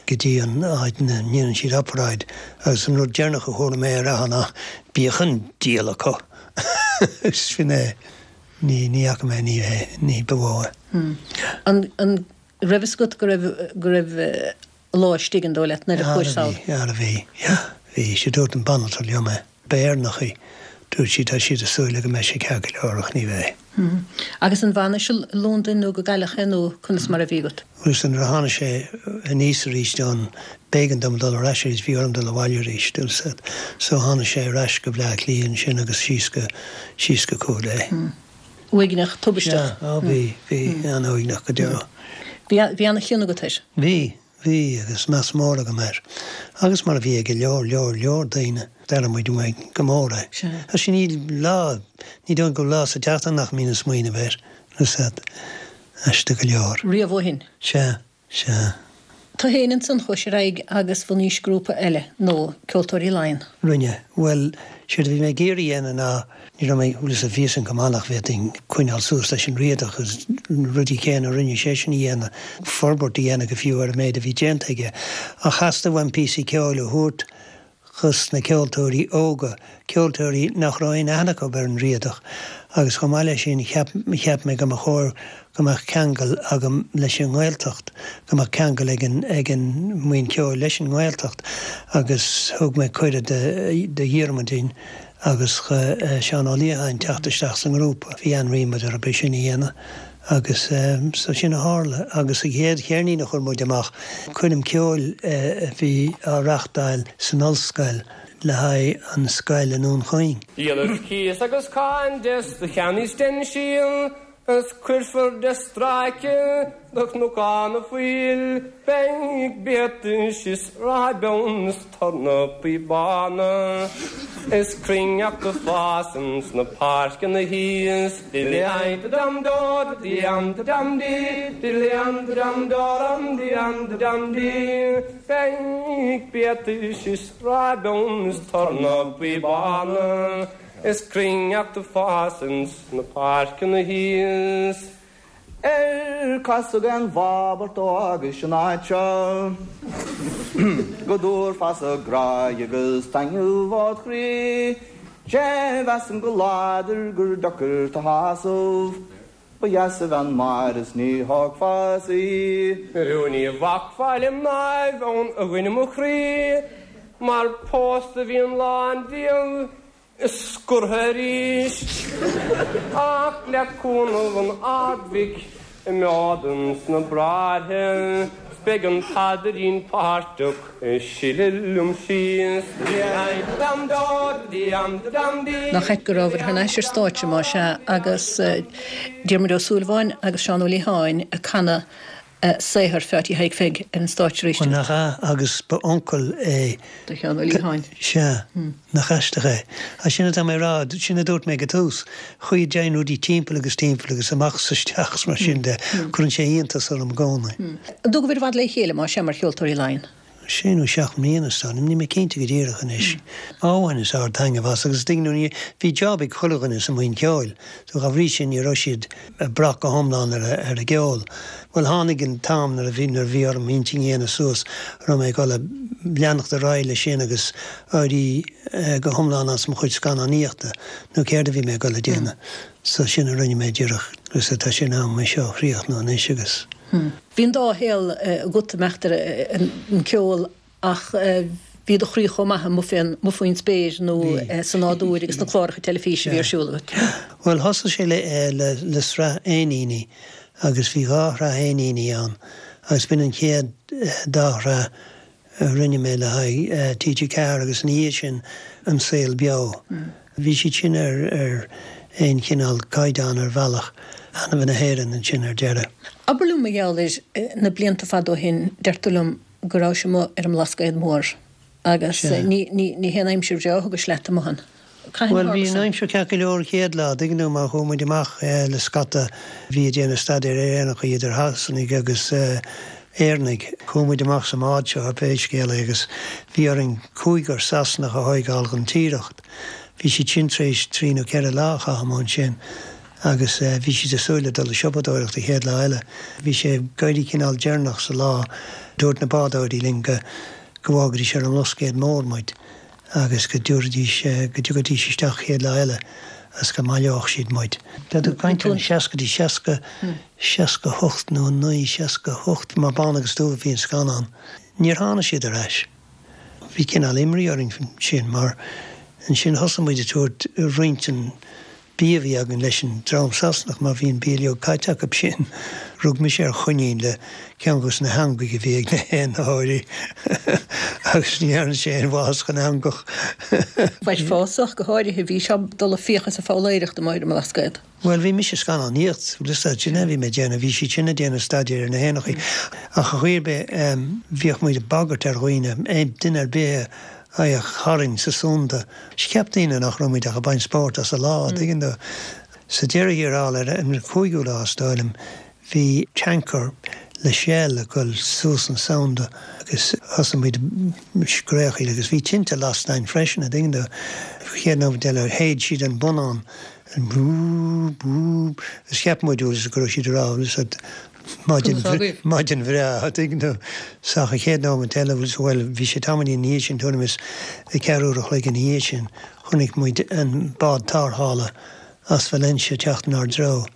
go dtí an áit ina ndéanann siad oparáid agus an rud deireanach a chuala mé a rá ná bíodh an diabhal acu! Agus sin é. Ní ní fhaca mé ní é ní ba mhó
é. An an raibh fhios agat go raibh go raibh a lá istigh an dóigh leat nuair a chuais
sall? Ara bhí, yeah, bhí. Sea dúirt an banaltra liom é. Ba Éireannach í. Dúirt sí tá siad ag súil le go mbeidh sé ceart go leor ach ní bheidh.
Agus an bhfanais i Londain nó go gcailleadh é nó conas mar a bhí agat?
Bhuel sea nuair a tháinig sé aníos arís ann b'éigean dom dul ar ais arís, bhí orm dul abhaile arís, bhfuil 'fhios a'd. So tháinig sé ar ais go Bleá Cliath ansin agus síos go, síos go Cúil Aodha.
Uaigneach, tubaisteach.
Sea, á bhí, bhí, an-uaigneach go deo.
Bhí, bhí an-chion agat air.
Bhí, bhí, agus meas mór agam air. Agus mar a bhí ag go leor, leor, leor daoine. D'airigh muid uainn go mór é.
Sea.
Agus níl lá, ní dóigh go bhfuil lá sa tseachtain nach mbínn ag smaoineamh air, bhfuil 'fhios a'd. Aisteach go leor.
Riamh ó shin.
Sea. Sea.
Tú fhéin ansan chuais ar aghaidh agus bhunaís grúpa eile, nó Ceoltóirí Laighean.
Rinne. Bhuel, séard a bhí mé ag iarraidh a dhéanamh ná, ní raibh mé, bhfuil 'fhios a'd, bhí 'fhios a'm go maith nach bhféadfainn coinneáil suas leis an Riadach agus na rudaí céanna a rinne seisean a dhéanamh, forbairt a dhéanamh go fiú ar an méid a bhí déanta aige. Ach theastaigh uaim píosaí ceoil a thabhairt dos na ceoltóirí óga, ceoltóirí nach raibh aon aithne acu ar an Riadach agus chomh maith leis sin cheap cheap mé go mba chóir go mbeadh ceangal agam leis an nGaeltacht, go mbeadh ceangal ag an ag an mbuíon ceoil leis an nGaeltacht agus thug mé cuireadh do do Dhiarmuidín agus do Seán Ó Liatháin teacht isteach sa ngrúpa. Bhí an-ríméad orthu é sin a dhéanamh agus so sin a tharla. Agus an chéad cheirnín a chuir muid amach, coirm ceoil a bhí á reachtáil san ollscoil le haghaidh an scoil i nDún Chaoin.
Díolfar cíos agus cáin des do cheannaí steinsíl 's cuirfear de stráice do chnocán na fuil beidh biatais is ráibeann is tornapaí bána is cruithneacht ag fás ins na páirceanna thíos Beidh biatais is ráibeann is tornapaí bána is cruithneacht ag fás ins na páirceanna thíos. Ar casadh aon bhab ort ó fhágais an áit seo go dtabharfása grá agus taitneamh ód chroí? Sé mheasaim go láidir gur deacair tu shásamh, ba dheas a bhean Máire is ní thógfása í. Ó ní bhacfá le mnáibh ann a dhuine mo chroí, mar pósta bhíonn lán díobh is scortha arís. Ach le cúnamh an Ard-Mhic imeod ins na bráithre 's beidh an paidrín páirteach ag sileadh liom síos.
Nach ait go rabhabhair thar n-ais ar stáitse, más ea, agus Diarmuid Ó Súilleabháin agus Seán Ó Liatháin ag canadh saothar Pheáití Thaidhg Pheig ar an stáitse arís.
Bhuel, nach ea, agus ba uncail é.
Do Sheán Ó Liatháin.
Sea. Nach aisteach é. Ach sin atá mé a rá, sin a dúirt mé ag an tús, chaoi a dtéann rudaí timpeall agus timpeall agus amach is isteach is mar sin de, cuireann sé iontas orm i gcónaí.
An dóigh go bhfuil i bhfad le chéile, más ea, mar Cheoltóirí Laighean?
Sé nó 7 mbliana is dóigh liom, níl mé cinnte go díreach anois. Á bhaineas ard-taitneamh as agus tuigeann tú ní, bhí job ag chuile dhuine sa mbuíon ceoil so dá bhrí sin ní raibh siad ag brath go hiomlán ar ar an gceol. Bhuel tháinig an t-am nuair a bhí nuair a bhí orm intinn a dhéanamh suas an raibh mé ag dul a leanacht ar aghaidh leis sin agus éirí go hiomlán as mo chuid scannánaíochta nó céard a bhí mé ag dul a déanamh. So sin a rinne mé díreach agus tá sé in am é seo a chríochnú anois agus.
Bhí an dá shaol agat, meachtar, an ceol ach bhí do chroí chomh maith amuigh faoin spéir nó sa nádúr agus na cláracha teilifíse a bhí ar siúl agat.
Bhuel, thosaigh sé le sraith éiníní agus bhí dhá shraith éiníní ann agus b'in an chéad dá shraith a rinne mé le haghaidh TG4 agus ina dhiaidh sin An Saol Beo. Bhí siad sin ar ar aon chineál caighdeán ar bhealach, Ainmhithe na hÉireann ansin ar deireadh.
Abair liom mar gheall ar na blianta fada ó shin, deir tú liom go rabhais amuigh ar an mBlascaod Mór agus ní ní haon aimsir bhreá a thugais leat amuigh ann.
Cathain a Bhuel, bhí an aimsir ceart go leor an chéad lá, tuigeann tú, mar chuaigh muid amach le scata a bhí ag déanamh staidéir ar éanacha, idir Shasanaigh agus Éireannaigh. Chuaigh muid amach sa mbád seo, pé scéal é, agus bhí orainn cúigear Sasanach a thóigeáil den Tiaracht. Bhí siad sin tar éis trí nó ceithre lá a chaitheamh amuigh ansin agus bhí siad ag súil le dul ag siopadóireacht an chéad lá eile. Bhí sé ag éirí cineál deireanach sa lá. Dúirt na bádóirí linn go go bhfágfaidís ar an mBlascaod Mór muid. agus go dtabharfaidís, go dtiocfaidís isteach an chéad lá eile agus go mbaileodh siad muid. Tá tú ag caint ar na seascaidí, 60, 68 nó 9, 68, mar Bán agus Dubh a bhí an scannán. Níor tháinig siad ar ais. Bhí cineál imní orainn sin mar ansin thosaigh muid ag tabhairt roinnt den bia a bhí againn leis an dream Sasanach mar bhí an bia uilig caite acu sin. Rug mise ar choinín le ceann dos na heangaigh a bhí ag na héanaitheoirí agus ní dhearna sé aon mhaitheas don eangach.
Bheadh fásach, go háirithe, bhí sé ag dul ag fiach is ag foghlaeireacht amuigh ar an mBlascaod.
Bhuel, bhí mise ag scannánaíocht, sin é a bhí mé ag déanamh, bhí siad sin ag déanamh staidéir ar na héanachaí. Ach ar chaoi ar bith, bhíodh muid ag bagairt ar dhaoine, duine ar bith a thagadh tharainn sa sunda. Cheap daoine nach raibh muid ach ag baint spóirt as an lá, an dtuigeann tú. Sa deireadh thiar thall, ar an chúigiú lá is dóigh liom, bhí tanker le Shell ag dul suas an Sound agus thosaigh muid ag scréachaíl agus bhí tinte lasta againn freisin, an dtuigeann tú. Chéad nóiméad eile, shéid siad an bonnán, an búb, búb, agus cheap muid go raibh siad ag rá, Maidin bhreá, an dtuigeann tú. Ach an chéad nóiméad eile, bhuel, bhí sé tamaillín ina dhiaidh sin, tuairim is ceathrú uair a chloig ina dhiaidh sin, chonaic muid an bád tarrthála as Valencia ag teacht inár dtreo.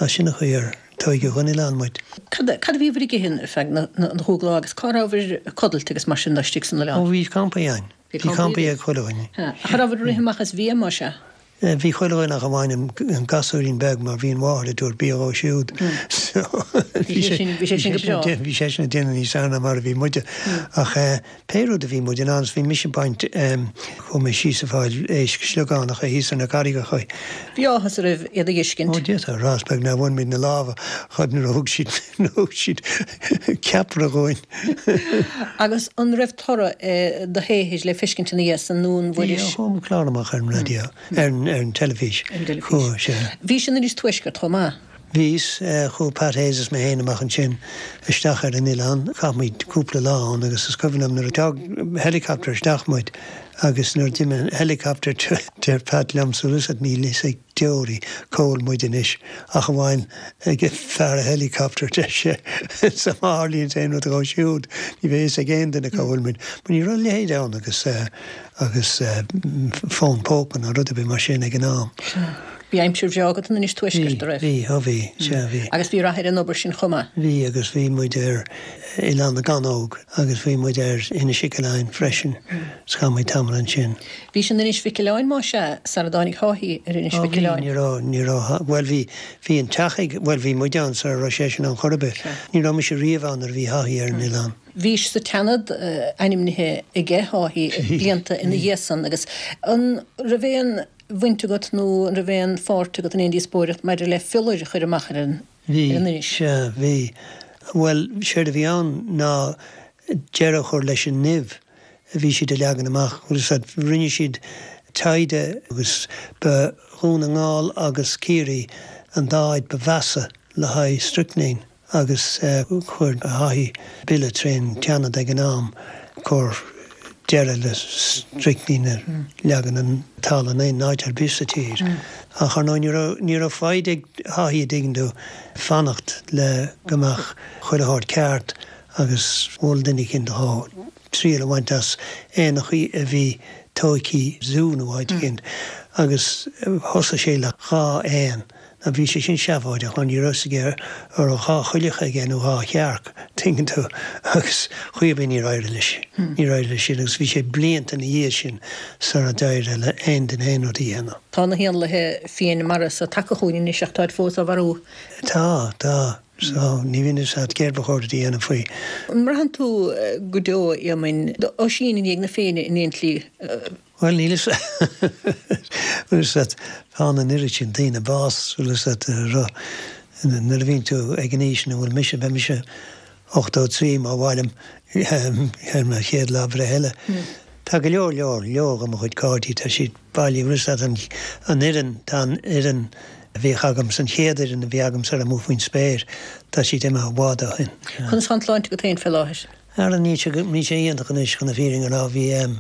Agus sin an chaoi ar tóigeadh den oileán muid.
Cad a bhíobhair ag ithe ar feadh na chúig lá agus cá rabhabhair ag codlait agus mar sin de istigh san oileán?
Ó, bhí campaí againn. Bhí campaí ag chuile dhuine.
Ach an rabhabhair ag rith amach as bhia, más ea?
Bhí chuile dhuine ach amháin an gasúirín beag mar bhí an mháthair ag tabhairt bia dhó siúd so bhí sé
bhí sé sin go breá.
Bhí seisean ag déanamh níos fearr ná mar a bhí muide. Ach pé rud a bhí muid in ann is bhí mise ag baint chuaigh mé síos ag fáil éisc sliogánacha thíos ar na carraigeacha.
Bhí áthas oraibh iad a fheiscint.
Ó d'fhéadfá a rá is beag nár bhain muid na lámha dhíobh nuair a thug siad nuair a thug siad ceapaire dhúinn.
Agus an raibh toradh do shaothair le feiscint ina dhiaidh san nó an
bhfuairis. Bhí, chuaigh clár amach ar an raidió, ar an teilifís.
Ar an dteilifís. Chuaigh, sea. Bhís in Inis Tuaisceart chomh maith.
Bhíos, chuaigh Pat Hayes is mé féin amach ansin isteach ar an oileán. Chaith muid cúpla lá ann agus is cuimhin liom nuair a d'fhág helicopter isteach muid agus nuair a d'imigh an helicopter deir Pat liomsa, bhfuil fhios agat níl fhios ag deoraí cá bhfuil muid anois ach amháin ag fear an helicopter, deir sé. So má tharlaíonn aon rud dhó siúd, ní bheidh fhios ag aon duine cá bhfuil muid. Mar ní raibh a leithéid ann agus agus fón póca ná rud ar bith mar sin ag an am.
Sea. Bhí aimsir bhreá agat in Inis Tuaiscirt, a raibh?
Bhí, ó bhí, sea bhí.
Agus bhí rath ar an obair sin chomh maith?
Bhí agus bhí muid ar Oileán na gCanóg agus bhí muid ar Inis Mhic Aoláin freisin. Is chaith muid tamall ansin.
Bhís in Inis Mhic Aoláin más ea, sara dtáinig Haughey ar Inis Mhic Aoláin.
Ní raibh, ní raibh, bhuel bhí, bhí an teach ag, bhuel bhí muid ann sara raibh seisean ann chor ar bith. Ní raibh mise riamh ann nuair a bhí Haughey ar an oileán.
Bhís sa tSeanad ainmnithe aige, Haughey, blianta ina dhiaidh san agus an raibh aon bhaint agat nó an raibh aon pháirt agat in aon díospóireacht maidir le fiolar a chur amach ar an
Bhí, inis? sea, bhí. Bhuel, séard a bhí ann ná deireadh a chur leis an nimh a bhí siad a leagan amach. Bhfuil fhios agat, rinne siad taighde agus ba Dhún na nGall agus Ciarraí an dá áit ba mheasa le haghaidh strychnine agus chuir Haughey bille trén tSeanad ag an am. Cur deireadh le stricnín a leagan an talamh in aon áit ar bith sa tír. Ach ar ndóigh ní raibh, ní raibh foighid ag Haughey a dtuigeann tú, fanacht le go mbeadh chuile shórt ceart agus mhol duine eicínt dhó triail a bhaint as éanachaí a bhí tóigthí zú nó áit eicínt agus thosaigh sé le dhá éan Now bhí sé sin seafóideach mar ní raibh fhios aige an raibh dhá choileach aige nó dhá chearc, tuigeann tú, agus chaoi ar bith níor éirigh leis, níor éirigh leis sin agus bhí sé blianta ina dhiaidh sin sara d'éirigh le aon duine aon rud a dhéanamh.
Tá na héanlaithe fiáin mara so tagtha chugainn anois ach táid fós á mharú.
Tá, tá. So, ní bhíonn fhios a't céard ba chóir duit a dhéanamh faoi.
An mbraitheann tú go deo, a Éamoinn, Oisín i ndiaidh na Féinne in aon tslí?
Bhuel, níl fhios bhfuil fhios a't, faigheann an oiread sin daoine bás, bhfuil fhios a't, nuair a bhíonn tú ag an aois ina bhfuil mise, beidh mise 83 má mhairim ar mo chéad lá breithe eile. Tá go leor leor, leor de mo chuid cairde, tá siad bailithe, bhfuil fhios a't, an, an fhoireann, tá an fhoireann a bhíodh agamsa, an chéad fhoireann a bhí agamsa ar Amuigh Faoin Spéir, tá siad imithe i bhfad ó shin.
Conas tá an tsláinte agat féin fé láthair?
Ara níl sé, níl sé iontach anois chun na fírinne a rá, bhí em,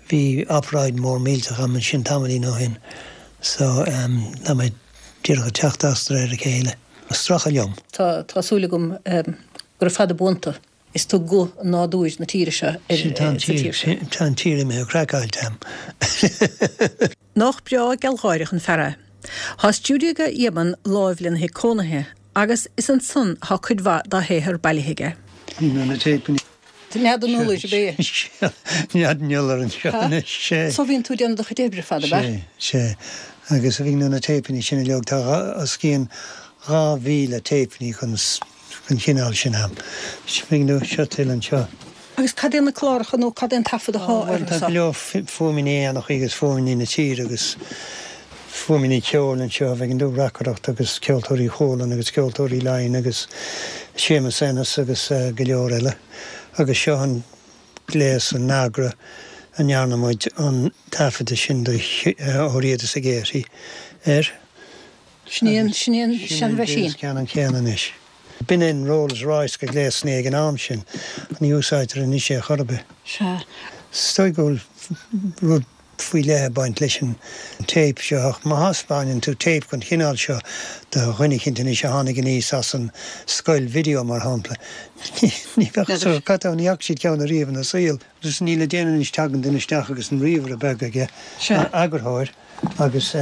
bhí obráid mór millteach agam ansin tamaillín ó shin so em, tá mé díreach ag teacht as de réir a chéile. Stracadh liom.
Tá, tá súil agam em, gura fada buan tú. Is tú guth nádúir na tíre seo ar,
Sin, tá an
sa
tír,
tír seo.
tá an tír imithe craiceáilte a'm.
Nach breá gealgháireach an fear é. Tá stiúideo ag Éamonn láimh lena thigh cónaithe agus is ansan atá cuid mhaith dá shaothar bailithe aige.
Ní na téipeanna.
Nead an iolair ab ea?
Sea, nead an iolair anseo anois, sea.
So bhíonn tú ag déanamh do chuid oibre fad, ab
ea? Sea, sea. Agus a bhíonn na téipeanna sin uilig, tá os cionn 2,000 téipeanna den den chineál sin a'm. Bhíonn seo tuilleadh anseo.
Agus cad é na cláracha nó cad é an taifead athá
orthu
so?
Tá go leor fuaimeanna éanachaí agus fuaimeanna na tíre agus fuaimeanna ceoil anseo, bheadh an reacaireacht agus Ceoltóirí Chualann agus Ceoltóirí Laighean agus Séamus Ennis agus go leor eile. Agus seo an gléas, an Nagra, a ndearna muid an taifeadadh sin de Ó Riada is a Gaiety air.
Sin í an, sin í an seanmheaisín.
Sin an ceann an céanna anois. B'in é an Rolls Royce de ghléasanna ag an am sin, ach ní úsáidtear anois é chor ar bith.
Sea.
Is dóigh go bhfuil rud faoi leith ag baint leis an téip seo, ach má thaispeáineann tú téip den chineál seo do dhuine eicínt anois a tháinig aníos as an scoil video, mar shampla, ní bheadh fhios acu cad tá, ní fhaca siad ceann ariamh ina saol. Agus níl le déanamh anois, tagann duine isteach agus an ríomhaire beag aige, eagarthóir, agus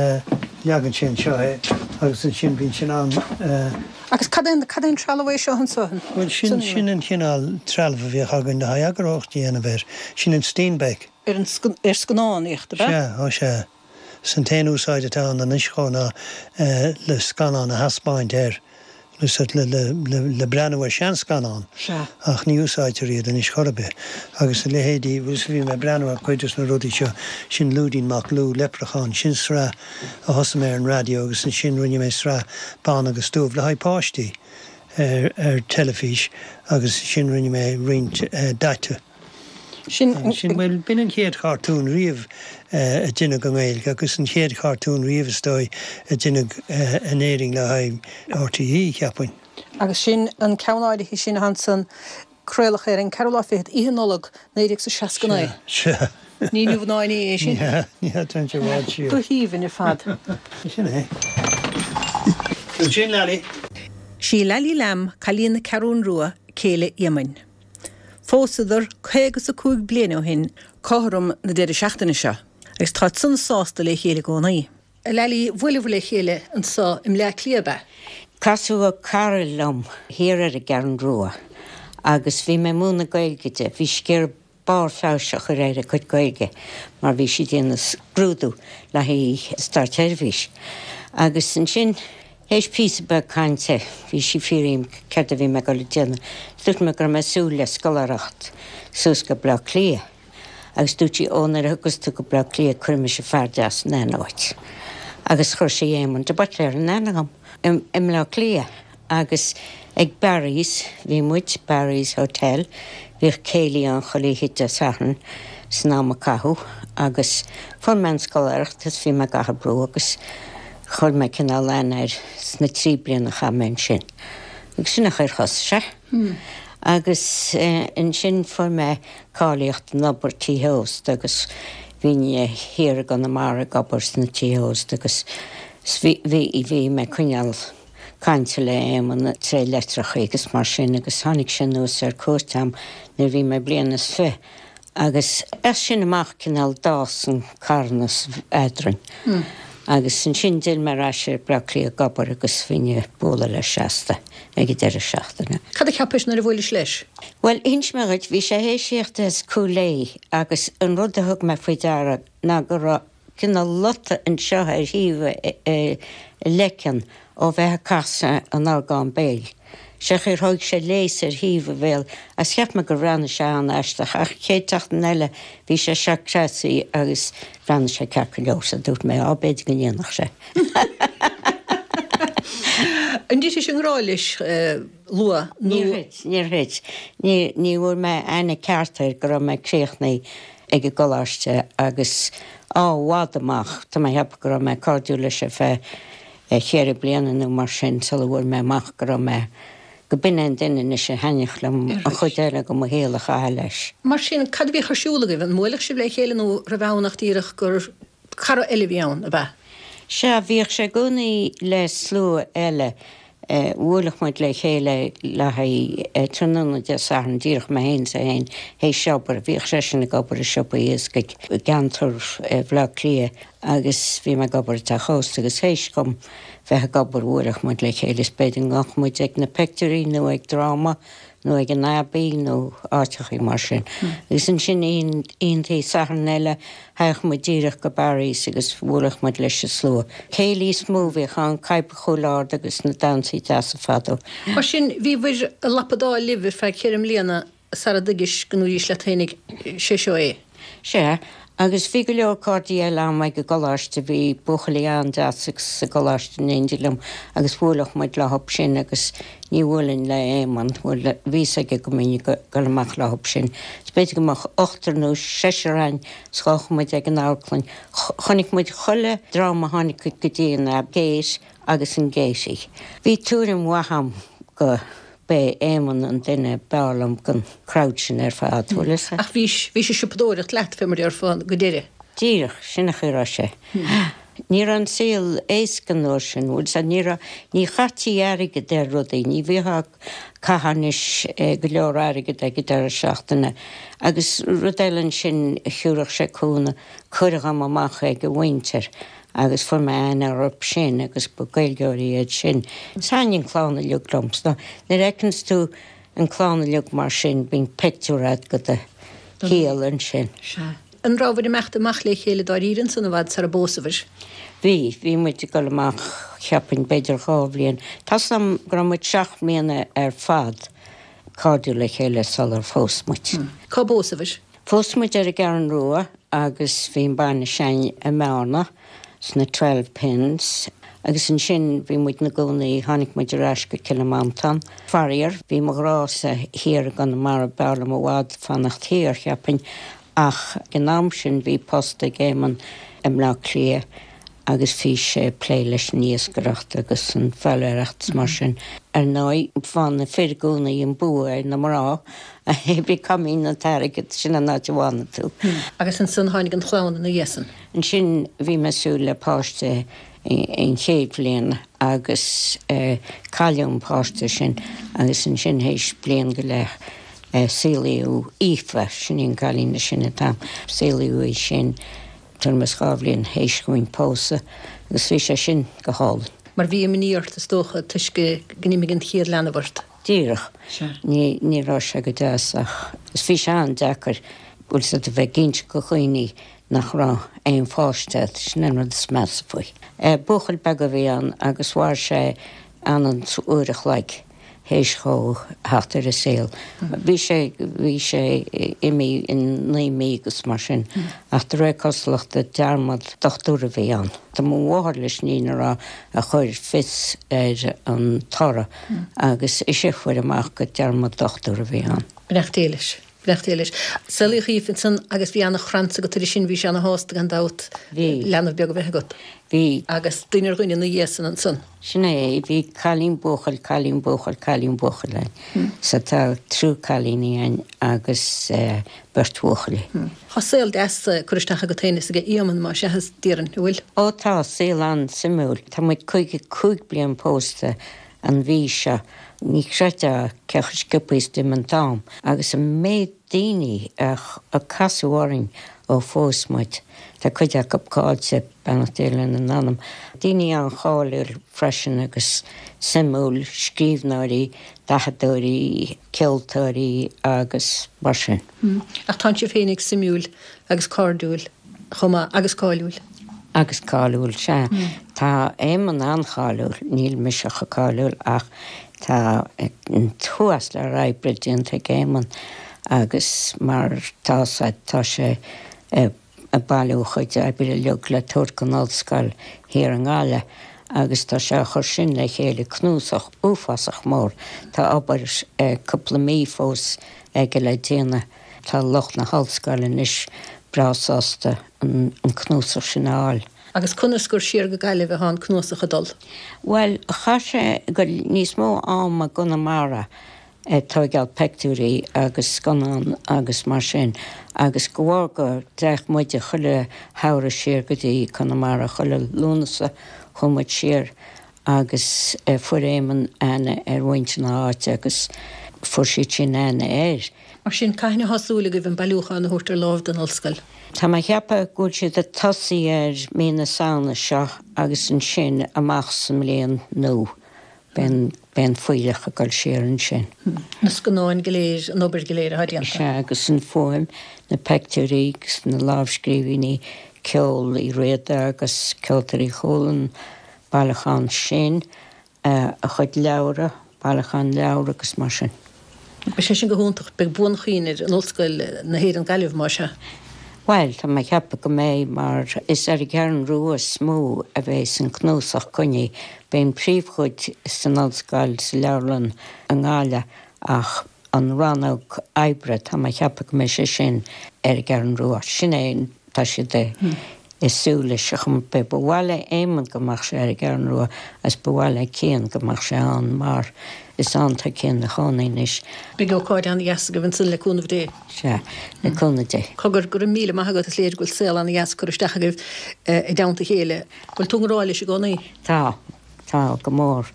leagann sé anseo é agus ansin bíonn sé in ann.
Agus cad é an, cad é an trealamh é seo anso?
Bhuel sin, sin an chineál trealamh a bhíodh againn le haghaidh eagarthóireacht a dhéanamh air. Sin an Steenbeck.
Ar an, ar scannánaíocht, ab ea?
Sea, ó sea. Is an t-aon úsáid atá ann anois dhó ná le scannán a thaispeáint air. le breathnú ar seanscannán ach ní úsáidtear iad anois chor ar bith. Agus a leithéidí, bhuel bhí mé ag breathnú ar chuid des na rudaí seo, sin Lúidín Mac Lú, Leipreachán, sin sraith a thosaigh mé ar an raidió agus ansin rinne mé sraith bán agus dubh le haghaidh páistí ar teilifís agus ansin rinne mé roinnt daite.
Sin,
bhuel, b'in an chéad chartún riamh a deineadh i nGaeilge agus an chéad chartún riamh, is dóigh, a deineadh in Éirinn le haghaidh RTÉ, cheapfainn.
Agus sin an ceann áirithe sin ansan, craoladh é ar an ceathrú lá fichead, Oíche Nollag, 1969.
Sea, sea.
Ní inniu ná inné é sin.
Ní hea, ní hea, téann sé i bhfad siar.
Go haoibhinn ar fad.
Sin é. Sin Laillí.
Sí Laillí Lamb, cailín na Ceathrún Rua, céile Éamoinn. Phósadar caoga is a cúig bliain ó shin cothrom na deireadh seachtaine seo agus táid sona sásta le chéile i gcónaí. A Laillí, bhuaileabhair le chéile anso i mBleá Cliath, ab ea?
Casadh cara liom thiar ar an gCeathrú Rua agus bhí mé ag múineadh Gaeilge di. Bhí sí ag iarraidh barr feabhais a chur ar a cuid Gaeilge mar bhí sí ag déanamh scrúdú le haghaidh Státseirbhís. Agus ansin Théis píosa beag cainte, bhí sí ag fiafraí dhíom céard a bhí mé ag dul a déanamh. Dúirt mé go raibh mé ag súil le scoláireacht suas go Bleá Cliath. Agus dúirt sí, Ó, nuair a thiocfas tú go Bleá Cliath, cuirfidh mise fear deas in aithne dhuit. Agus chuir sí Éamonn de Buitléar in aithne dhom i mBleá Cliath. Agus ag Barry's bhí muid, Barry's Hotel, bhíodh céilí ann chuile oíche Dé Sathairn san am a caitheadh agus fuair mé an scoláireacht is bhí mé i gCathair Brú agus Chuir mé cineál aithne air sna trí bliana a chaith mé ansin. Agus sin an chaoi ar thosaigh sé. Agus ansin fuair mé cáilíocht in obair tithe ósta agus bhínn thiar i gConamara ag obair sna tithe ósta agus bhí, bhí mé ag coinneáil cainte le Éamonn tré leitreacha agus mar sin agus tháinig sé anuas ar cuairt a'm nuair a bhí mé bliain is fi' agus as sin amach cineál d'fhás an carthanas eadrainn agus ansin d'fhill mé ar ais ar Bleá Cliath ag obair agus bhínn ag bualadh leis seasta ag an deireadh seachtaine.
Cad a cheapais nuair a bhuailis leis?
Bhuel, inseoidh mé dhuit, bhí sé théis thíocht as Cúil Aodha agus an rud a thug mé faoi deara ná go raibh cineál lota anseo ar thaobh a leiceann ó bheith ag casadh an orgán béil. Sé chaoi ar thóig sé léas ar thaobh a bhéil agus cheap mé gur bhreathnaigh sé an-aisteach ach an chéad tseachtain eile bhí sé seo creasaithe agus bhreathnaigh sé ceart go leor so dúirt mé á b'fhéidir go ndéanfadh sé.
An dtitis i ngrá leis luath
nó? Níor thit, níor thit. Ní bhfuair mé aithne ceart air go raibh mé críochnaithe ag an gcoláiste agus á i bhfad amach, tá mé a cheapadh go raibh mé cairdiúil leis ar feadh cheithre bliana nó mar sin sula bhfuair mé amach go raibh mé, go b'in é an duine anois a thaitneodh liom an chuid eile de mo shaol a chaitheamh leis.
Mar sin, cad a bhíodh ar siúl agaibh? An mbuaileadh sibh le chéile nó raibh ann ach díreach gur cara eile a bhí ann, ab ea?
Sea, bhíodh sé i gcónaí le slua eile. Bhuaileadh muid le chéile le haghaidh tráthnóna Dé Sathairn, díreach mé féin is é féin, théis obair. Bhíodh seisean ag obair i siopa iascaigh i gceantar Bhaile Átha Cliath agus bhí mé ag obair i dteach ósta agus théis dhom bheith ag obair bhuaileadh muid le chéile is b'fhéidir go ngabhadh muid ag na pictiúirí nó ag dráma nó ag an Abbey nó áiteachaí mar sin. Agus ansin oícheantaí Sathairn eile thagadh muid díreach go Barry's agus bhuaileadh muid leis an slua. Céilí is mó a bhíodh ann, Caidhp Chúil Ard agus na damhsaí deasa fadó.
Mar sin, bhíobhair ag lapadáil libh ar feadh cheithre mbliana sara dtuigis go ndúraís leat féinig, 'Sé seo é.
Sea, agus bhí go leor cairde eile a'm ag an gcoláiste, bhí buachaillí an-deas sa gcoláiste in éindí liom agus bhuaileadh muid leothab sin agus ní bhuailfinn le Éamonn, bhuel, bhí fhios aige go mbeinn ag dul amach leothab sin. Is b'fhéidir go mbeadh ochtar nó seisear a'inn 's ghabhadh muid ag an amharclann. Chonaic muid chuile dráma a tháinig go dtí an Gate agus an Gaiety. Bhí tuairim mhaith a'm go. B'é Éamonn an duine b'fhearr liom den crowd sin ar fad, bhfuil fhios
a'd. Ach bhís, bhís ag siopadóireacht leat, fé mar déarfá, go deireadh.
Díreach, sin an chaoi a raibh sé. Ní raibh an saol éasca an uair sin, bhfuil fhios a'd, ní raibh, ní chaití airgead ar rudaí, ní bhíothá ag caitheamh anois go leor airgead ag an deireadh seachtaine. Agus rud eile ansin, thiúrfadh sé cúnamh, cuireadh dhom amach ag a mhuintir agus fuair mé aithne orthu sin agus ba Gaeilgeoirí iad sin. Thaitnigh an clann uilig liom. So nuair a fheiceanns tú an clann uilig mar sin bíonn pictiúr a'd go do shaol ansin.
Sea. An rabhabhair ag imeacht amach le chéile dáiríre ansan i bhfad sara bpósabhair?
Bhí. Bhí muid ag dul amach cheapfainn b'fhéidir dhá bhliain. Tá's a'm go raibh muid seacht mbliana ar fad cairdiúil le chéile sular phós muid.
Cá bpósabhair?
Phós muid ar an gCeathrú Rua agus bhí an bainis a'inn i mBearna sna Twelve Pins agus ansin bhí muid 'na gcónaí, tháinig muid ar ais go Cill Mhantáin. Faraor, bhí mo ghrása thiar i gConamara, b'fhearr liom i bhfad fanacht thiar, cheapfainn, ach ag an am sin bhí post ag Éamonn i mBleá Cliath agus bhí sé ag plé leis an iascaireacht agus an foghlaeireacht is mar sin. Ar ndóigh, faigheann na fir i gcónaí an bua ar na mná, cibé cá mbíonn an t-airgead, sin an áit a bhfanann tú.
Agus ansan tháinig an chlann ina dhiaidh san.
Ansin bhí mé ag súil le páiste an chéad bhliain agus cailleadh an páiste sin agus ansin théis bliain go leith saolaíodh Aoife, sin í an cailín is sine atá a'm, saolaíodh í sin. Tuairim is 2 bhliain théis dhúinn pósadh agus bhí sé sin go hálainn.
Mar bhí imní ort, is dócha, toisc go n-imigh an chéad leanbh ort.
Díreach. Sea. Ní, ní raibh sé go deas ach is bhí sé an-deacair, bhfuil 's a'd, a bheith ag inse go dhaoine nach raibh aon pháiste a'd, sin an rud is measa faoi. Buachaill beag a bhí ann agus mhair sé anonn uair a chloig. théis dhó theacht ar an saol. Bhí sé, bhí sé imithe in 9 mí agus mar sin, ach de réir cosúlachta dearmad dochtúra a bhí ann. Tá mo mháthair leis an fhírinne a rá a chuir fios ar an toradh agus ise a fuair amach gur dearmad dochtúra a bhí ann.
Beannacht Dé leis. Beannacht Dé leis. Saolaíodh Aoife ansan agus bhí ana-chrannsa agat uirthi sin, bhí sí ana-shásta gan dabht leanbh beag a bheith agat.
Bhí.
Agus duine ar dhuine ina dhiaidh san ansan.
Sin é, bhí cailín, buachaill, cailín, buachaill, cailín, buachaill againn. So tá triúr cailíní againn agus beirt bhuachaillí.
Tá saol deas curtha isteach agat féin is ag Éamonn más ea, déarfainn, an bhfuil?
Ó tá, saol an-suimiúil. Tá muid 55 bliain pósta an mhí seo. Ní chreidfeá cé chomh sciobtha is d'imigh an t-am agus an méid daoine a casadh orainn ó phós muid. Tá cuid acu caillte, beannacht Dé lena n-anam. Daoine an-cháiliúil freisin agus suimiúil, scríbhneoirí, dathadóirí, ceoltóirí agus mar sin.
Ach tánn sibh féinig suimiúil agus cairdiúil chomh maith, agus cáiliúil.
Agus cáiliúil, sea. Tá Éamonn an-cháiliúil, níl mise chomh cáiliúil ach tá an t-uafás lear oibre déanta ag Éamonn agus mar tá tá sé ag bailiú a chuid oibre uilig le tabhairt don ollscoil thiar i nGaillimh agus tá sé á chur sin le chéile, cnuasach uafásach mór. Tá obair cúpla mí fós aige le déanamh. Tá lucht na hollscoile anois breá sásta an cnuasach sin a fháil.
Agus conas gur siar go Gaillimh atá an cnuasach ag dul?
Bhuel, chaith sé níos mó ama i gConamara ag tóigeáil peictiúirí agus scannán agus mar sin agus de bharr go dtéadh muide chuile shamhradh siar go dtí Conamara, chuile Lúnasa chuaigh muid siar agus fuair Éamonn aithne ar mhuintir na háite agus fuair siad sin aithne air.
Mar sin, cathain atá súil agaibh an bailiúchán a thabhairt ar láimh don ollscoil?
Tá mé a cheapadh go bhfuil siad ag tosaí air mí na Samhna seo agus ansin amach sa mbliain nua beidh an fuílleach ag dul siar ansin.
Na scannáin go léir, an obair go léir atá déanta.
Sea, agus an fuaim, na peictiúirí agus na lámhscríbhinní, ceol Uí Riada agus Ceoltóirí Chualann, bailiúchán sin, a chuid leabhra, bailiúchán leabhar agus mar sin.
Beidh sé sin go hiontach. Beidh buanchuimhne ar an Ollscoil na hÉireann Gaillimh, más ea.
Bhuel, tá mé ag ceapadh go mbeidh, mar is ar an gCeathrú Rua is mó a bheas an cnuasach coinnithe. Beidh an príomhchuid san Ollscoil, sa leabharlann i nGaillimh ach an rannóg oibre, tá mé ag ceapadh go mbeidh sé sin ar an gCeathrú Rua. Sin é, tá siad ag súil leis ar chuma ar bith. Ba mhaith le Éamonn go mbeadh sé ar an gCeathrú Rua agus ba mhaith le Cian go mbeadh sé ann mar is ann tá Cian ina chónaí anois.
Beidh ócáid an-dheas agaibh ansan le cúnamh Dé.
Sea, le cúnamh Dé.
Cogar, go raibh míle maith agat, is léir go bhfuil saol an-dheas curtha isteach agaibh i dteannta a chéile. Bhfuil tú i ngrá leis i gcónaí?
Tá, tá, go mór.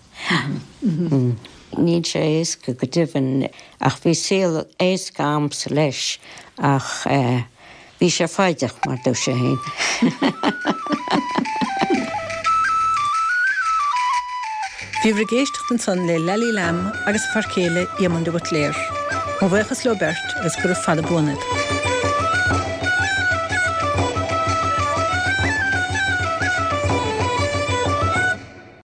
Níl sé éasca go deimhin, ach bhí saol éasca a'msa leis ach bhí sé foighdeach mar dúirt sé féin.
Bhíobhair ag éisteacht ansan le Laillí Lamb agus a fear céile Éamonn de Buitléar. Mo bhuíochas leo beirt agus gura fada buan iad.